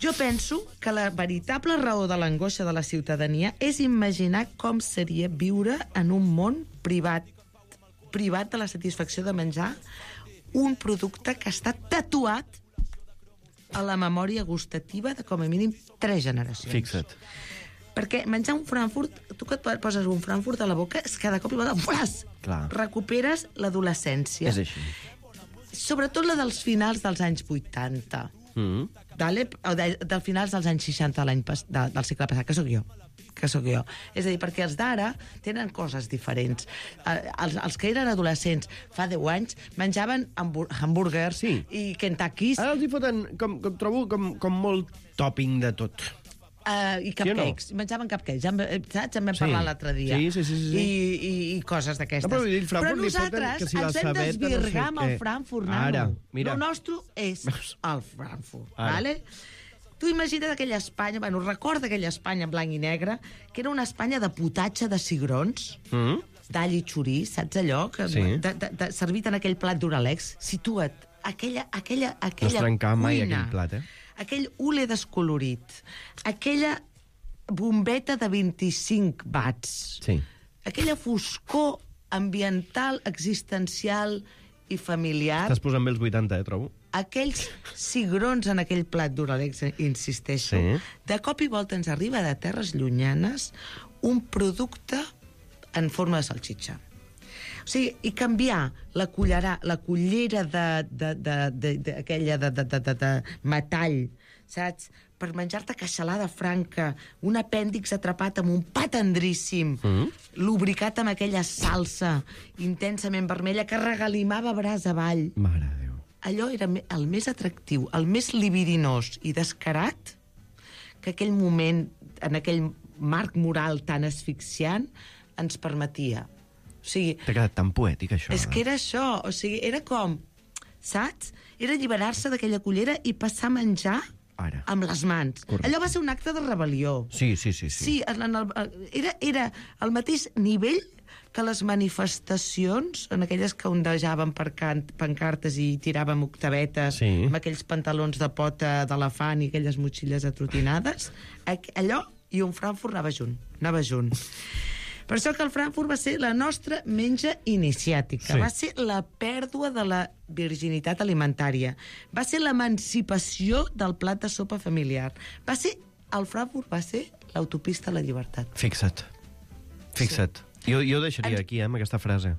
Jo penso que la veritable raó de l'angoixa de la ciutadania és imaginar com seria viure en un món privat privat de la satisfacció de menjar un producte que està tatuat a la memòria gustativa de com a mínim tres generacions. Fixa't. Perquè menjar un Frankfurt, tu que et poses un Frankfurt a la boca, és cada cop i volta, flas, Clar. recuperes l'adolescència. És així. Sobretot la dels finals dels anys vuitanta. Mm. Dale, o de, del finals dels anys seixanta l'any pas, de, del segle passat, que sóc jo que sóc jo. És a dir, perquè els d'ara tenen coses diferents. Eh, els, els que eren adolescents fa deu anys menjaven hambur hamburgers Sí. i Kentuckys Ara els hi foten, com, com trobo, com, com molt topping de tot. uh, i cupcakes. Sí o no? Menjaven cupcakes, ja, en- saps? En vam Sí. parlar l'altre dia. Sí, sí, sí, sí, sí. I, i, I coses d'aquestes. No, però vull dir, el Frankfurt Però li foten nosaltres que si la ens vam sabeta, no sé desvirgar amb el què. Frankfurt, Ara, nano. mira. El nostre és el Frankfurt, Ara. vale? Tu imagina't aquella Espanya, bueno, recorda aquella Espanya en blanc i negre, que era una Espanya de potatge de cigrons, Mm? d'all i xoriç, saps allò? Que, Sí. de, de, de, servit en aquell plat d'Uralex. Situa't, aquella, aquella, No es aquella trencava mai cuina, aquell plat, eh? aquell hule descolorit, aquella bombeta de vint-i-cinc watts, Sí. aquella foscor ambiental, existencial i familiar, Estàs posant bé els vuitanta, eh, trobo. aquells cigrons en aquell plat d'Uralex, insisteixo, Sí. de cop i volta ens arriba de terres llunyanes un producte en forma de salxitxa. O sigui, i canviar la cullera, la cullera de, de, de, de, de, aquella de, de, de, de, de metall, saps? Per menjar-te queixalada franca, un apèndix atrapat amb un pa tendríssim, mm. lubricat amb aquella salsa intensament vermella que regalimava braç avall. Mare de Déu. Allò era me- el més atractiu, el més libidinós i descarat que aquell moment, en aquell marc moral tan asfixiant, ens permetia. O sigui, T'ha quedat tan poètic, això. és eh? que era això, o sigui, era com, saps? Era alliberar-se d'aquella cullera i passar a menjar Ara. amb les mans. Correcte. Allò va ser un acte de rebel·lió. Sí, sí, sí. sí. Sí, en el, era, era el mateix nivell que les manifestacions, en aquelles que ondejaven per can, pancartes i tiràvem octavetes Sí. amb aquells pantalons de pota d'elefant i aquelles motxilles atrotinades, aqu- allò i un Frankfurt anava junt, anava junt. Per això que el Frankfurt va ser la nostra menja iniciàtica, Sí. va ser la pèrdua de la virginitat alimentària, va ser l'emancipació del plat de sopa familiar, va ser, el Frankfurt va ser l'autopista a la llibertat. Fixa't. Fixa't. Jo, jo ho deixaria Ens- aquí, eh, amb aquesta frase.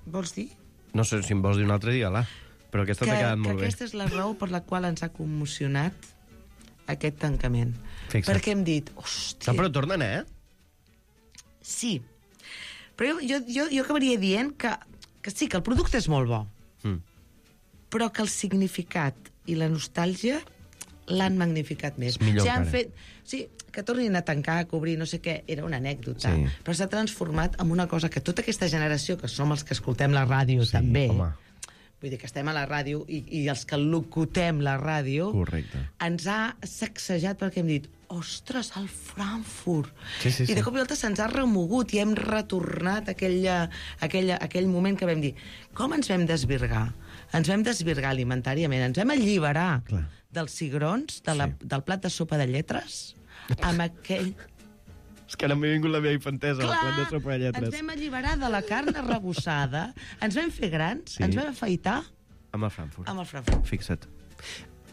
Vols dir? No sé si em vols dir un altre dia, la. Però aquesta Que, t'ha quedat que molt bé. aquesta és la raó per la qual ens ha commocionat aquest tancament. Fixa't. Perquè hem dit, hòstia... No, però tornen, eh? Sí. Però jo, jo, jo, jo acabaria dient que, que sí, que el producte és molt bo, Mm. però que el significat i la nostàlgia l'han magnificat més. És millor o sigui, han encara. fet, sí, que tornin a tancar, a cobrir, no sé què, era una anècdota, Sí. però s'ha transformat en una cosa que tota aquesta generació, que som els que escoltem la ràdio Sí, també, home. vull dir que estem a la ràdio i, i els que locutem la ràdio, Correcte. ens ha sacsejat perquè hem dit, ostres, el Frankfurt. Sí, sí, I de sí. cop i volta se'ns ha remogut i hem retornat a aquella, aquella, aquell moment que vam dir, com ens vam desvirgar? Ens vam desvirgar alimentàriament, ens vam alliberar Clar. dels cigrons, de la, Sí. del plat de sopa de lletres, amb aquell... És que ara m'ha vingut la meva infantesa, el plat de sopa de ens lletres. vam alliberar de la carn arrebossada, ens vam fer grans, Sí. ens vam afaitar Amb el Frankfurt. amb el Frankfurt. Fixa't.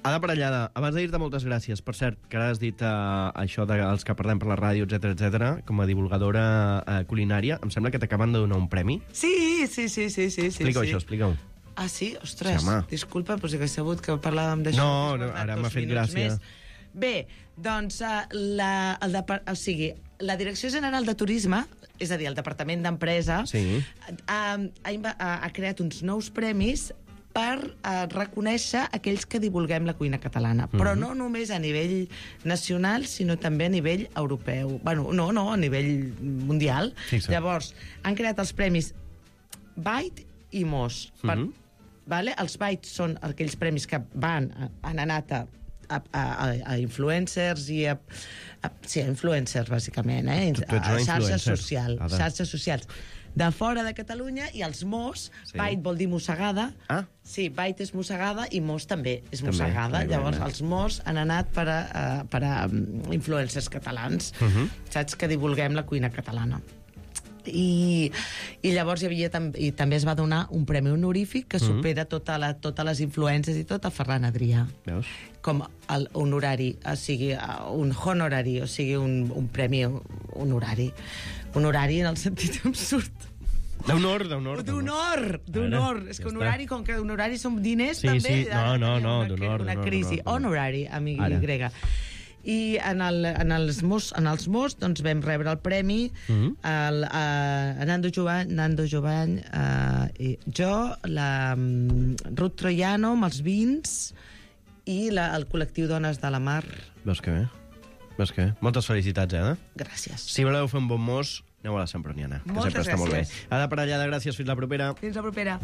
Ada Parellada, abans de dir-te moltes gràcies, per cert, que ara has dit uh, això dels que parlem per la ràdio, etcètera, etcètera, com a divulgadora uh, culinària, em sembla que t'acaben de donar un premi. Sí, sí, sí, sí, sí. Explica-ho, sí. això, explica-ho. Ah, sí? Ostres, Sí, home. disculpa, però si hagués sabut que parlàvem d'això... No, hagués no, guardat ara dos m'ha fet minuts gràcia. més. Bé, doncs, uh, la, el depar- o sigui, la Direcció General de Turisme, és a dir, el Departament d'Empresa, Sí. ha, ha, inva- ha, ha creat uns nous premis per uh, reconèixer aquells que divulguem la cuina catalana. Mhm. Però no només a nivell nacional, sinó també a nivell europeu. Bueno, no, no, a nivell mundial. Fixa't. Llavors, han creat els premis Byte i Mos. Per, Mhm. vale? Els Bytes són aquells premis que van, han anat a, a, a, a influencers i a, a... Sí, a influencers, bàsicament, eh? Tu- tu ets a una xarxes influencer, socials. Ada. Xarxes socials. De fora de Catalunya, i els Mos, Sí. sí. Byte vol dir mossegada. Ah. Sí, Byte és mossegada i Mos també és També, mossegada. clar, Llavors, clar. els Mos han anat per a, a, per a um, influencers catalans, Mhm. uh -huh. saps? Que divulguem la cuina catalana. I, i llavors hi havia tam i també es va donar un premi honorífic que supera tota la, totes les influències i tot a Ferran Adrià Veus? com el honorari, o sigui, un honorari, o sigui, un, un premi honorari. Honorari en el sentit absurd. D'honor, d'honor. D'honor, d'honor. És que honorari, com que honorari són diners, sí, també... Sí, no, no, no, d'honor. Una crisi. Honorari, amic grega. I en, el, en els Mos, en els Mos doncs, vam rebre el premi uh -huh. el, a, a Nando Jovany, Nando Jovany uh, i jo, la um, Ruth Troiano amb els vins i la, el col·lectiu Dones de la Mar. Veus que bé? Veus que bé? Moltes felicitats, eh? Gràcies. Si voleu fer un bon mos, aneu a la Semproniana, que Moltes sempre està gràcies. molt bé. Ada Parellada, gràcies. Fins la propera. Fins la propera.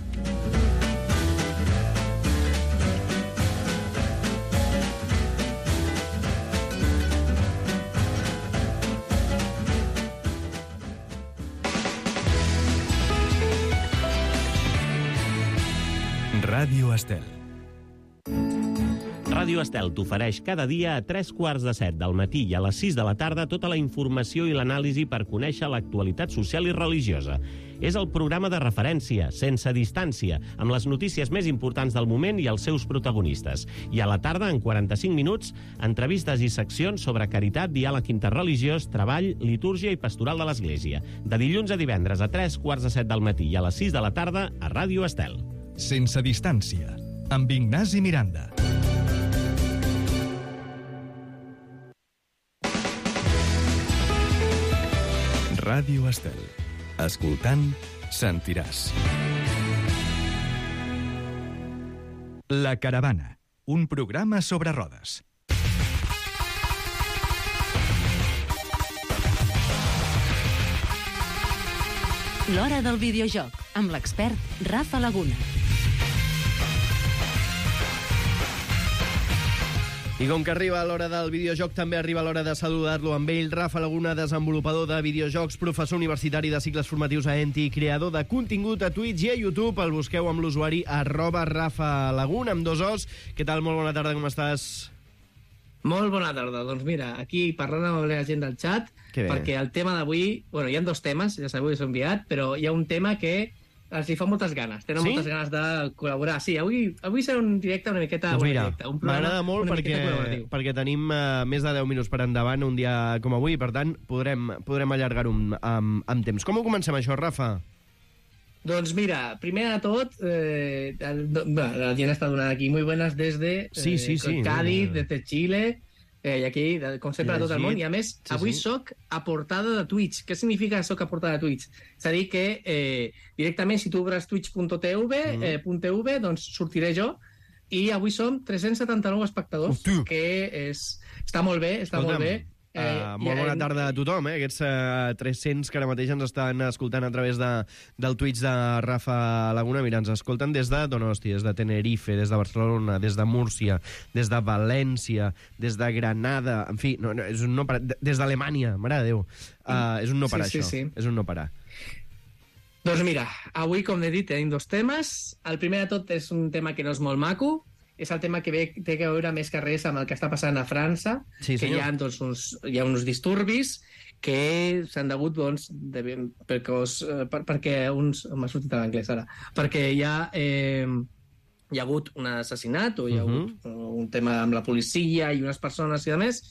Ràdio Estel. Ràdio Estel t'ofereix cada dia a tres quarts de set del matí i a les sis de la tarda tota la informació i l'anàlisi per conèixer l'actualitat social i religiosa. És el programa de referència, sense distància, amb les notícies més importants del moment i els seus protagonistes. I a la tarda, en quaranta-cinc minuts, entrevistes i seccions sobre caritat, diàleg interreligiós, treball, litúrgia i pastoral de l'Església. De dilluns a divendres a tres quarts de set del matí i a les sis de la tarda a Ràdio Estel. Sense distància, amb Ignasi Miranda. Ràdio Estel. Escoltant, sentiràs. La Caravana, un programa sobre rodes. L'Hora del Videojoc, amb l'expert Rafa Laguna. I com que arriba l'hora del videojoc, també arriba l'hora de saludar-lo amb ell. Rafa Laguna, desenvolupador de videojocs, professor universitari de cicles formatius a Enti, creador de contingut a Twitch i a YouTube. El busqueu amb l'usuari arroba Rafa Laguna, amb dos os. Què tal? Molt bona tarda, com estàs? Molt bona tarda. Doncs mira, aquí parlant amb la gent del xat, perquè el tema d'avui... Bueno, hi ha dos temes, ja sabeu que s'ho he enviat, però hi ha un tema que els hi fa moltes ganes. Tenen sí? moltes ganes de col·laborar. Sí, avui, avui serà un directe una miqueta... Doncs mira, m'agrada molt perquè, perquè tenim uh, més de deu minuts per endavant un dia com avui, per tant, podrem, podrem allargar-ho amb, amb temps. Com ho comencem, això, Rafa? Doncs mira, primer de tot, eh, la gent està donant aquí muy buenas des de eh, sí, sí, sí, Cádiz, des de Xile, eh, i aquí, com sempre, a tot el món. I a més, sí, avui sí. soc a portada de Twitch. Què significa soc a portada de Twitch? És a dir que eh, directament, si tu obres twitch punt tv, mm. eh, .tv, doncs sortiré jo. I avui som tres-cents setanta-nou espectadors, Hosti. que és, està molt bé, està Escolta'm. molt bé. Eh, uh, molt bona tarda a tothom, eh? Aquests uh, tres-cents que ara mateix ens estan escoltant a través de, del Twitch de Rafa Laguna. Mira, ens escolten des de Donosti, des de Tenerife, des de Barcelona, des de Múrcia, des de València, des de Granada, en fi, no, no, és un no parar, des d'Alemanya, mare de Déu. Uh, és un no parar, sí, sí, això. Sí. És un no parar. Doncs mira, avui, com he dit, tenim dos temes. El primer de tot és un tema que no és molt maco, és el tema que ve, té a veure més que res amb el que està passant a França, sí, que hi ha, doncs, uns, hi ha uns disturbis que s'han degut, doncs, de, perquè, per, perquè uns... M'ha sortit en anglès ara. Perquè hi ha, eh, hi ha hagut un assassinat o hi ha hagut uh -huh. un tema amb la policia i unes persones i a més.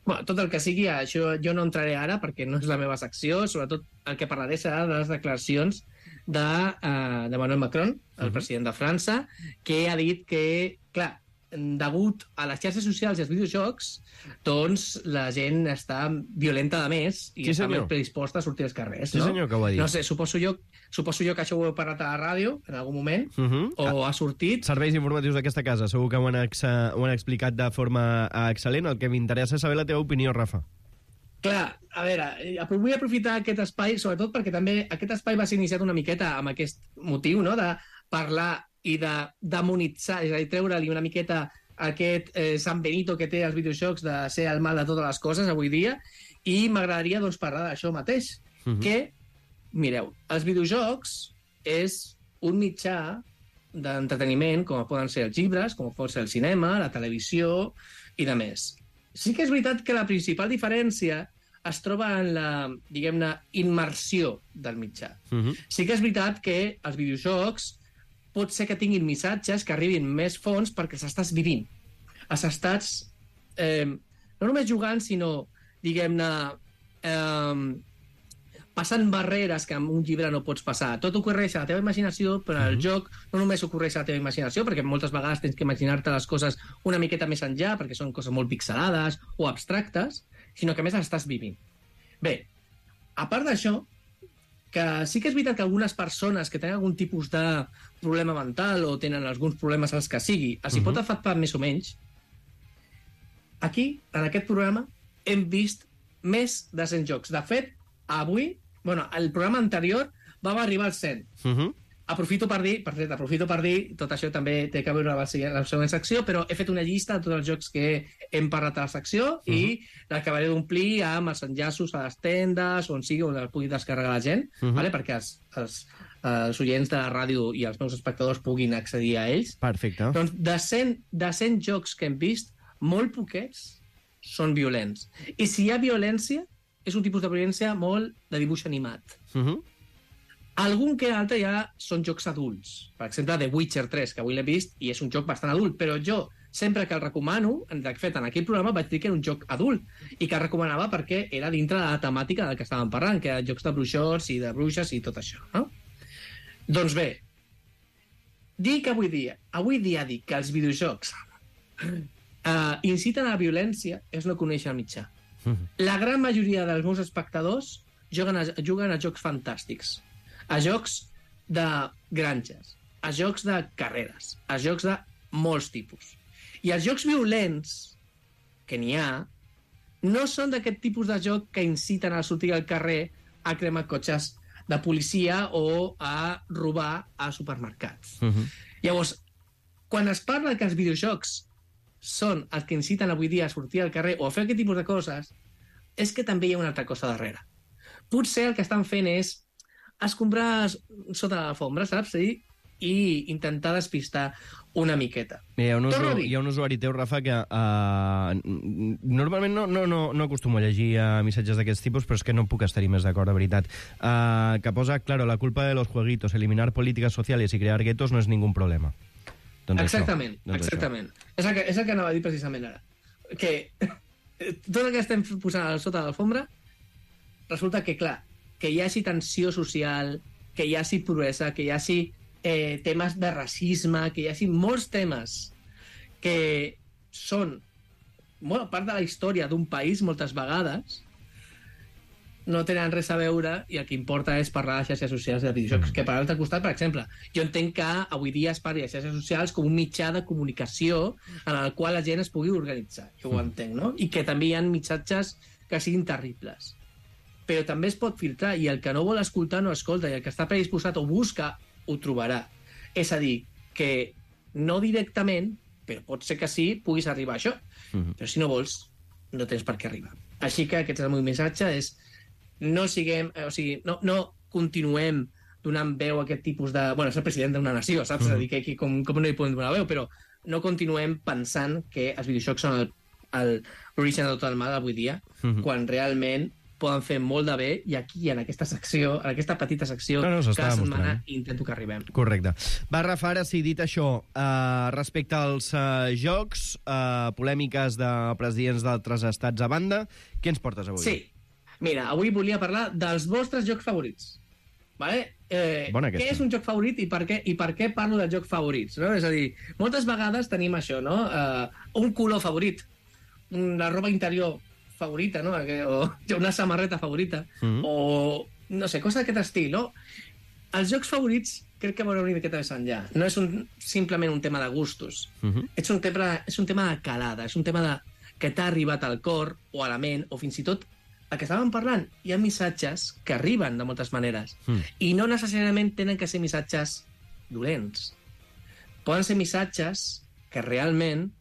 Bueno, tot el que sigui, això jo no entraré ara perquè no és la meva secció, sobretot el que parlaré serà de les declaracions de, uh, de Emmanuel Macron, el uh -huh. president de França, que ha dit que, clar, degut a les xarxes socials i als videojocs, doncs la gent està violenta de més i sí, està més predisposta a sortir als carrers. Sí, no? senyor, que ho ha dit. No sé, suposo jo, suposo jo que això ho heu parlat a la ràdio en algun moment, uh -huh. o ha sortit... Serveis informatius d'aquesta casa, segur que ho han, ex ho han explicat de forma excel·lent. El que m'interessa és saber la teva opinió, Rafa. Clar, a veure, vull aprofitar aquest espai, sobretot perquè també aquest espai va ser iniciat una miqueta amb aquest motiu, no?, de parlar i de demonitzar, és a dir, treure-li una miqueta aquest eh, San Benito que té els videojocs de ser el mal de totes les coses avui dia, i m'agradaria, doncs, parlar d'això mateix, uh -huh. que, mireu, els videojocs és un mitjà d'entreteniment, com poden ser els llibres, com pot ser el cinema, la televisió i de més. Sí que és veritat que la principal diferència es troba en la, diguem-ne, immersió del mitjà. Uh -huh. Sí que és veritat que els videojocs pot ser que tinguin missatges que arribin més fons perquè s'estàs vivint. S'estàs eh, no només jugant, sinó, diguem-ne, eh, passant barreres que amb un llibre no pots passar. Tot ocorreix a la teva imaginació, però en el Mhm. joc no només ocorreix a la teva imaginació, perquè moltes vegades tens que imaginar-te les coses una miqueta més enllà, perquè són coses molt pixelades o abstractes, sinó que a més les estàs vivint. Bé, a part d'això, que sí que és veritat que algunes persones que tenen algun tipus de problema mental o tenen alguns problemes als que sigui, els hi Mhm. pot afectar més o menys, aquí, en aquest programa, hem vist més de cent jocs. De fet, avui, bueno, el programa anterior vam arribar als cent. Uh -huh. Aprofito per dir, per cert, aprofito per dir, tot això també té que veure amb la següent, la següent secció, però he fet una llista de tots els jocs que hem parlat a la secció uh -huh. i l'acabaré d'omplir amb els enllaços a les tendes, on sigui, on el pugui descarregar la gent, uh -huh. vale? Perquè els, els, els oients de la ràdio i els meus espectadors puguin accedir a ells. Perfecte. Doncs de cent, de cent jocs que hem vist, molt poquets són violents. I si hi ha violència, és un tipus de violència molt de dibuix animat. Uh -huh. Algun que altre ja són jocs adults. Per exemple, The Witcher tres, que avui l'he vist, i és un joc bastant adult, però jo, sempre que el recomano, de fet, en aquell programa vaig dir que era un joc adult, i que el recomanava perquè era dintre de la temàtica del que estàvem parlant, que eren jocs de bruixots i de bruixes i tot això, no? Doncs bé, dic avui dia, avui dia dic que els videojocs uh, inciten a la violència és no conèixer el mitjà. Uh -huh. La gran majoria dels meus espectadors juguen a, juguen a jocs fantàstics, a jocs de granges, a jocs de carreres, a jocs de molts tipus. I els jocs violents, que n'hi ha, no són d'aquest tipus de joc que inciten a sortir al carrer a cremar cotxes de policia o a robar a supermercats. Uh -huh. Llavors, quan es parla que els videojocs són els que inciten avui dia a sortir al carrer o a fer aquest tipus de coses, és que també hi ha una altra cosa darrere. Potser el que estan fent és escombrar sota l'alfombra, saps? I, i intentar despistar una miqueta. Hi ha un, Torno a usuari, dir. hi ha un usuari teu, Rafa, que uh, normalment no, no, no, no acostumo a llegir uh, missatges d'aquests tipus, però és que no puc estar-hi més d'acord, de veritat. Uh, que posa, claro, la culpa de los jueguitos, eliminar políticas sociales y crear guetos no es ningún problema. Doncs exactament, això, doncs exactament. És el, que, és el que anava a dir precisament ara. Que tot el que estem posant sota l'alfombra resulta que, clar, que hi hagi tensió social, que hi hagi pobresa, que hi hagi eh, temes de racisme, que hi hagi molts temes que són bueno, part de la història d'un país moltes vegades, no tenen res a veure i el que importa és parlar de xarxes socials de videojocs. Mm. Que per l'altre costat, per exemple, jo entenc que avui dia es parli de xarxes socials com un mitjà de comunicació en el qual la gent es pugui organitzar. Jo mm. ho entenc, no? I que també hi ha missatges que siguin terribles. Però també es pot filtrar i el que no vol escoltar no escolta i el que està predisposat o busca ho trobarà. És a dir, que no directament, però pot ser que sí, puguis arribar a això. Mm-hmm. Però si no vols, no tens per què arribar. Així que aquest és el meu missatge, és no siguem, o sigui, no, no continuem donant veu a aquest tipus de... Bueno, és el president d'una nació, saps? Mm-hmm. És a dir, que, que com, com no hi podem donar veu, però no continuem pensant que els videojocs són l'origen de tot el mal avui dia, mm-hmm. quan realment poden fer molt de bé, i aquí, en aquesta secció, en aquesta petita secció, no, no, cada setmana mostrant. intento que arribem. Correcte. Va, Rafa, ara sí, dit això, uh, respecte als uh, jocs, uh, polèmiques de presidents d'altres estats a banda, què ens portes avui? Sí. Mira, avui volia parlar dels vostres jocs favorits. Vale? Eh, Bona què aquesta. és un joc favorit i per què, i per què parlo de jocs favorits? No? És a dir, moltes vegades tenim això, no? Uh, un color favorit, una roba interior favorita, no? O una samarreta favorita, mm-hmm. o, no sé, coses d'aquest estil, no? Els jocs favorits crec que van una miqueta més enllà. No és un, simplement un tema de gustos. Mm-hmm. És, un tema, és un tema de calada, és un tema de, que t'ha arribat al cor o a la ment, o fins i tot el que estàvem parlant. Hi ha missatges que arriben de moltes maneres, mm. i no necessàriament tenen que ser missatges dolents. Poden ser missatges que realment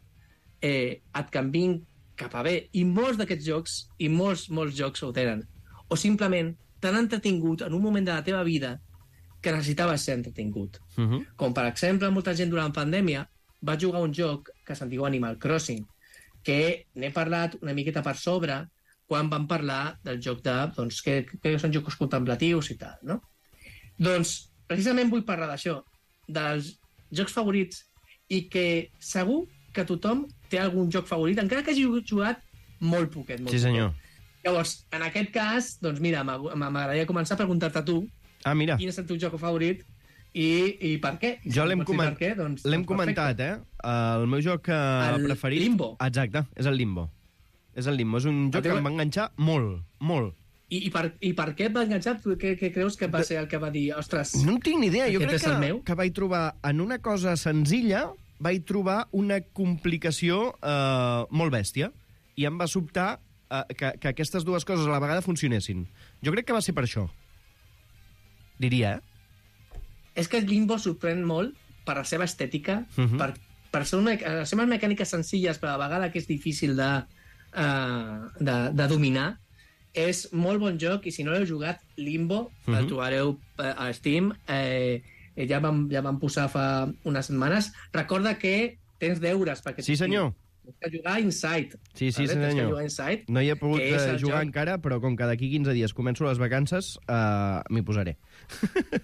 eh, et canvin cap a bé, i molts d'aquests jocs, i molts, molts jocs ho tenen. O simplement t'han entretingut en un moment de la teva vida que necessitaves ser entretingut. Uh-huh. Com, per exemple, molta gent durant la pandèmia va jugar un joc que se'n diu Animal Crossing, que n'he parlat una miqueta per sobre quan vam parlar del joc de... doncs, que, que són jocs contemplatius i tal, no? Doncs, precisament vull parlar d'això, dels jocs favorits, i que segur que tothom té algun joc favorit, encara que hagi jugat molt poquet. Molt sí, senyor. Poquet. Llavors, en aquest cas, doncs mira, m'agradaria començar a preguntar-te a tu ah, mira. quin és el teu joc favorit i, i per què. I jo si l'hem coment... què, doncs, doncs comentat, eh? El meu joc uh, el preferit... Limbo. Exacte, és el Limbo. És el Limbo. És un joc teu... que em va enganxar molt, molt. I, i, per, I per què et va enganxar? Què, què creus que va ser el que va dir? Ostres, no en tinc ni idea. Jo crec és el que, meu? que vaig trobar en una cosa senzilla vaig trobar una complicació uh, molt bèstia. I em va sobtar uh, que, que aquestes dues coses a la vegada funcionessin. Jo crec que va ser per això. Diria, eh? És que el Limbo sorprèn molt per la seva estètica, uh -huh. per, per ser una, les seves mecàniques senzilles, però a la vegada que és difícil de, uh, de, de dominar. És molt bon joc, i si no l'heu jugat, Limbo, uh -huh. el trobareu a Steam, eh, ja, vam, ja vam posar fa unes setmanes. Recorda que tens deures perquè... Sí, senyor. Tens que jugar Inside. Sí, sí, vale? senyor. Tens que jugar Inside, no hi he pogut jugar joc... encara, però com que d'aquí quinze dies començo les vacances, uh, m'hi posaré.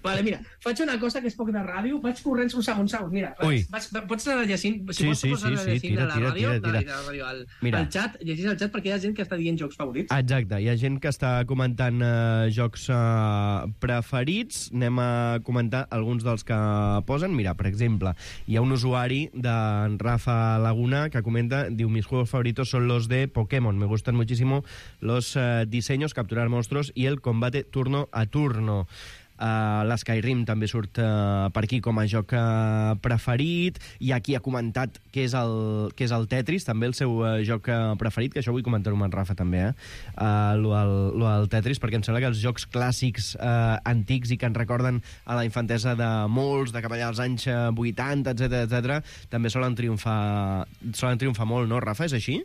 Vale, mira, faig una cosa que és poc de ràdio, vaig corrents un segon, segon, mira, vaig, vaig, pots anar llegint, si sí, vols sí, pots anar sí, llegint tira, a la tira, ràdio, tira, tira. La, la ràdio al, mira. al xat, llegís el xat perquè hi ha gent que està dient jocs favorits. Exacte, hi ha gent que està comentant uh, jocs uh, preferits, anem a comentar alguns dels que posen. Mira, per exemple, hi ha un usuari d'en Rafa Laguna que comenta, diu, mis juegos favoritos son los de Pokémon, me gustan muchísimo los uh, diseños, capturar monstruos y el combate turno a turno. Uh, l'Skyrim també surt uh, per aquí com a joc uh, preferit. I aquí ha comentat que és el, que és el Tetris, també el seu uh, joc uh, preferit, que això vull comentar-ho amb en Rafa també, eh? Uh, lo, el, lo del Tetris, perquè em sembla que els jocs clàssics uh, antics i que ens recorden a la infantesa de molts, de cap allà als anys uh, vuitanta, etcètera, etcètera, també solen triomfar, solen triomfar molt, no, Rafa? És així?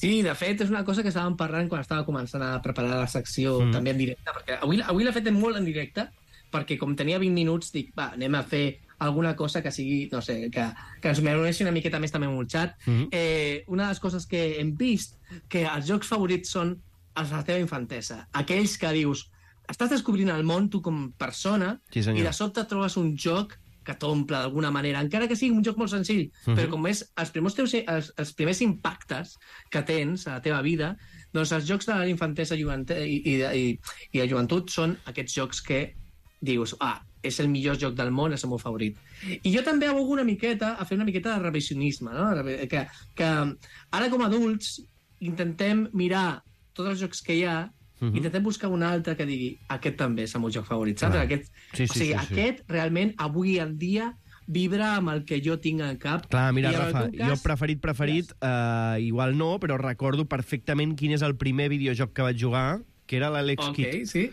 Sí, de fet, és una cosa que estàvem parlant quan estava començant a preparar la secció mm. també en directe, perquè avui, avui l'he fet molt en directe, perquè com tenia vint minuts, dic, va, anem a fer alguna cosa que sigui, no sé, que, que ens m'uneixi una miqueta més també amb el xat. Mm. Eh, una de les coses que hem vist, que els jocs favorits són els de la teva infantesa. Aquells que dius, estàs descobrint el món tu com persona, sí, i de sobte trobes un joc que t'omple d'alguna manera, encara que sigui un joc molt senzill, uh -huh. però com és els primers, teus, els, els primers impactes que tens a la teva vida, doncs els jocs de la infantesa i, i, i, i de joventut són aquests jocs que dius, ah, és el millor joc del món, és el meu favorit. I jo també abogo una miqueta a fer una miqueta de revisionisme, no? que, que ara com a adults intentem mirar tots els jocs que hi ha. Uh-huh. Intentem buscar un altre que digui aquest també és el meu joc favorit, saps? Aquest, sí, sí, o sigui, sí, sí. aquest realment avui en dia vibra amb el que jo tinc al cap. Clar, mira, I Rafa, cas... jo preferit, preferit, uh, igual no, però recordo perfectament quin és el primer videojoc que vaig jugar, que era l'Alex Ok, Kidd. sí.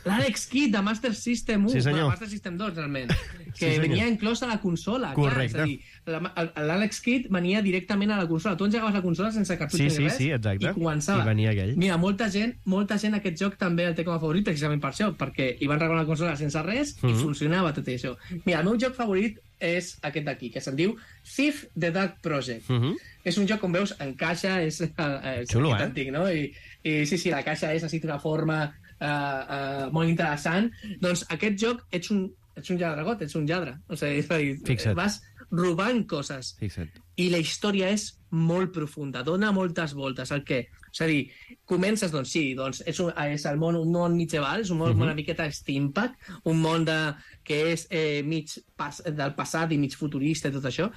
L'Alex Kidd, de Master System u, sí, senyor. de Master System dos, realment, que sí, venia inclòs a la consola. Correcte. Clar, és a dir, l'Alex Kidd venia directament a la consola. Tu engegaves la consola sense cartutx sí, ni sí, res, sí, exacte. i començava. I venia aquell. Mira, molta gent, molta gent aquest joc també el té com a favorit precisament per això, perquè li van regalar la consola sense res uh -huh. i funcionava tot això. Mira, el meu joc favorit és aquest d'aquí, que se'n diu Thief the Dark Project. Uh -huh. És un joc, com veus, en caixa, és, és xulo, eh? antic, no? I, I sí, sí, la caixa és així d'una forma uh, uh, molt interessant. Doncs aquest joc, ets un, ets un lladregot, ets un lladre. O sigui, és a dir, Fixa't. vas robant coses. Fixa't. I la història és molt profunda, dona moltes voltes. El què? És a dir, comences, doncs sí, doncs és, un, és el món, un món mitjaval, és un món uh -huh. una miqueta steampunk, un món de, que és eh, mig pas, del passat i mig futurista i tot això,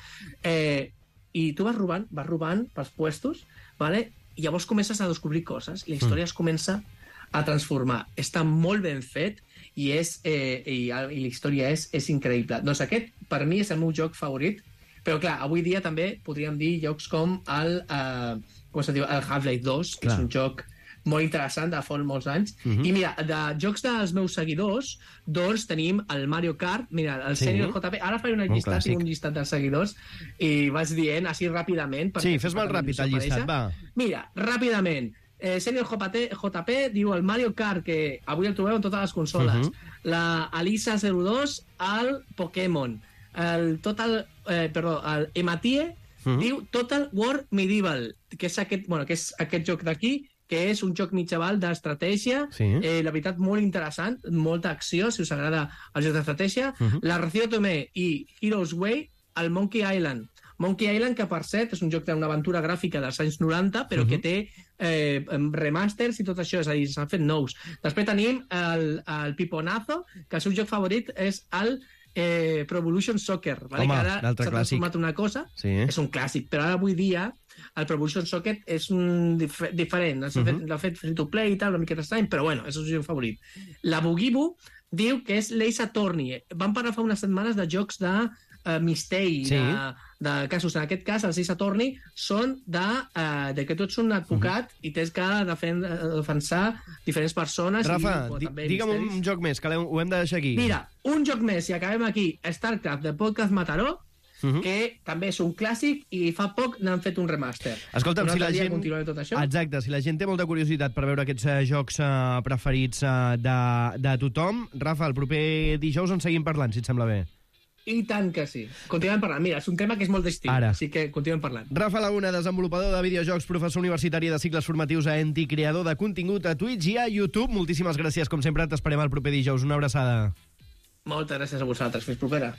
eh, i tu vas robant, vas robant pels puestos, vale? I llavors comences a descobrir coses, i la història uh -huh. es comença a transformar. Està molt ben fet i, és, eh, i, i la història és, és increïble. Doncs aquest, per mi, és el meu joc favorit, però clar, avui dia també podríem dir jocs com el, eh, com es diu, el Half-Life dos, que clar. És un joc molt interessant de fa molts anys. Uh -huh. I mira, de jocs dels meus seguidors, doncs tenim el Mario Kart, mira, el sí. Senior J P, ara faré una llistat, tinc un llistat dels seguidors, i vaig dient així ràpidament... Sí, fes molt ràpid el llistat, va. Mira, ràpidament, eh, Senior J P, J P diu el Mario Kart, que avui el trobeu en totes les consoles, uh -huh. la Alisa zero dos, el Pokémon, el Total, eh, perdó, el Ematie, uh -huh. diu Total War Medieval, que és aquest, bueno, que és aquest joc d'aquí, que és un joc mitjaval d'estratègia, sí. eh, la veritat, molt interessant, molta acció, si us agrada el joc d'estratègia. Uh -huh. La Ració Tomé i Heroes Way, el Monkey Island. Monkey Island, que per cert és un joc d'una aventura gràfica dels anys noranta, però uh -huh. que té eh, remasters i tot això, és a dir, s'han fet nous. Després tenim el, el Piponazo, que el seu joc favorit és el eh, Pro Evolution Soccer, vale? Home, que ara s'ha transformat una cosa, sí. és un clàssic, però ara avui dia el Pro Evolution Soccer és un dif diferent, l'ha uh -huh. fet, fet free-to-play i tal, una miqueta estrany, però bueno, és el seu joc favorit. La Bugibu diu que és l'Ace Attorney. Vam parlar fa unes setmanes de jocs de uh, misteri, sí. de, de casos. En aquest cas, els Ace Attorney són de, uh, de que tu ets un advocat uh -huh. i tens que defen defensar diferents persones. Rafa, i, di digue'm misteris. Un joc més, que ho hem de deixar aquí. Mira, un joc més, i acabem aquí. StarCraft, de Podcast Mataró, Uh -huh. que també és un clàssic i fa poc n'han fet un remaster. Escolta'm, si la gent... tot això. Exacte, si la gent té molta curiositat per veure aquests uh, jocs uh, preferits uh, de, de tothom, Rafa, el proper dijous en seguim parlant, si et sembla bé. I tant que sí. Continuem parlant. Mira, és un tema que és molt d'estil, així que continuem parlant. Rafa Laguna, desenvolupador de videojocs, professor universitari de cicles formatius a Enti, creador de contingut a Twitch i a YouTube. Moltíssimes gràcies, com sempre, t'esperem el proper dijous. Una abraçada. Moltes gràcies a vosaltres. Fins propera.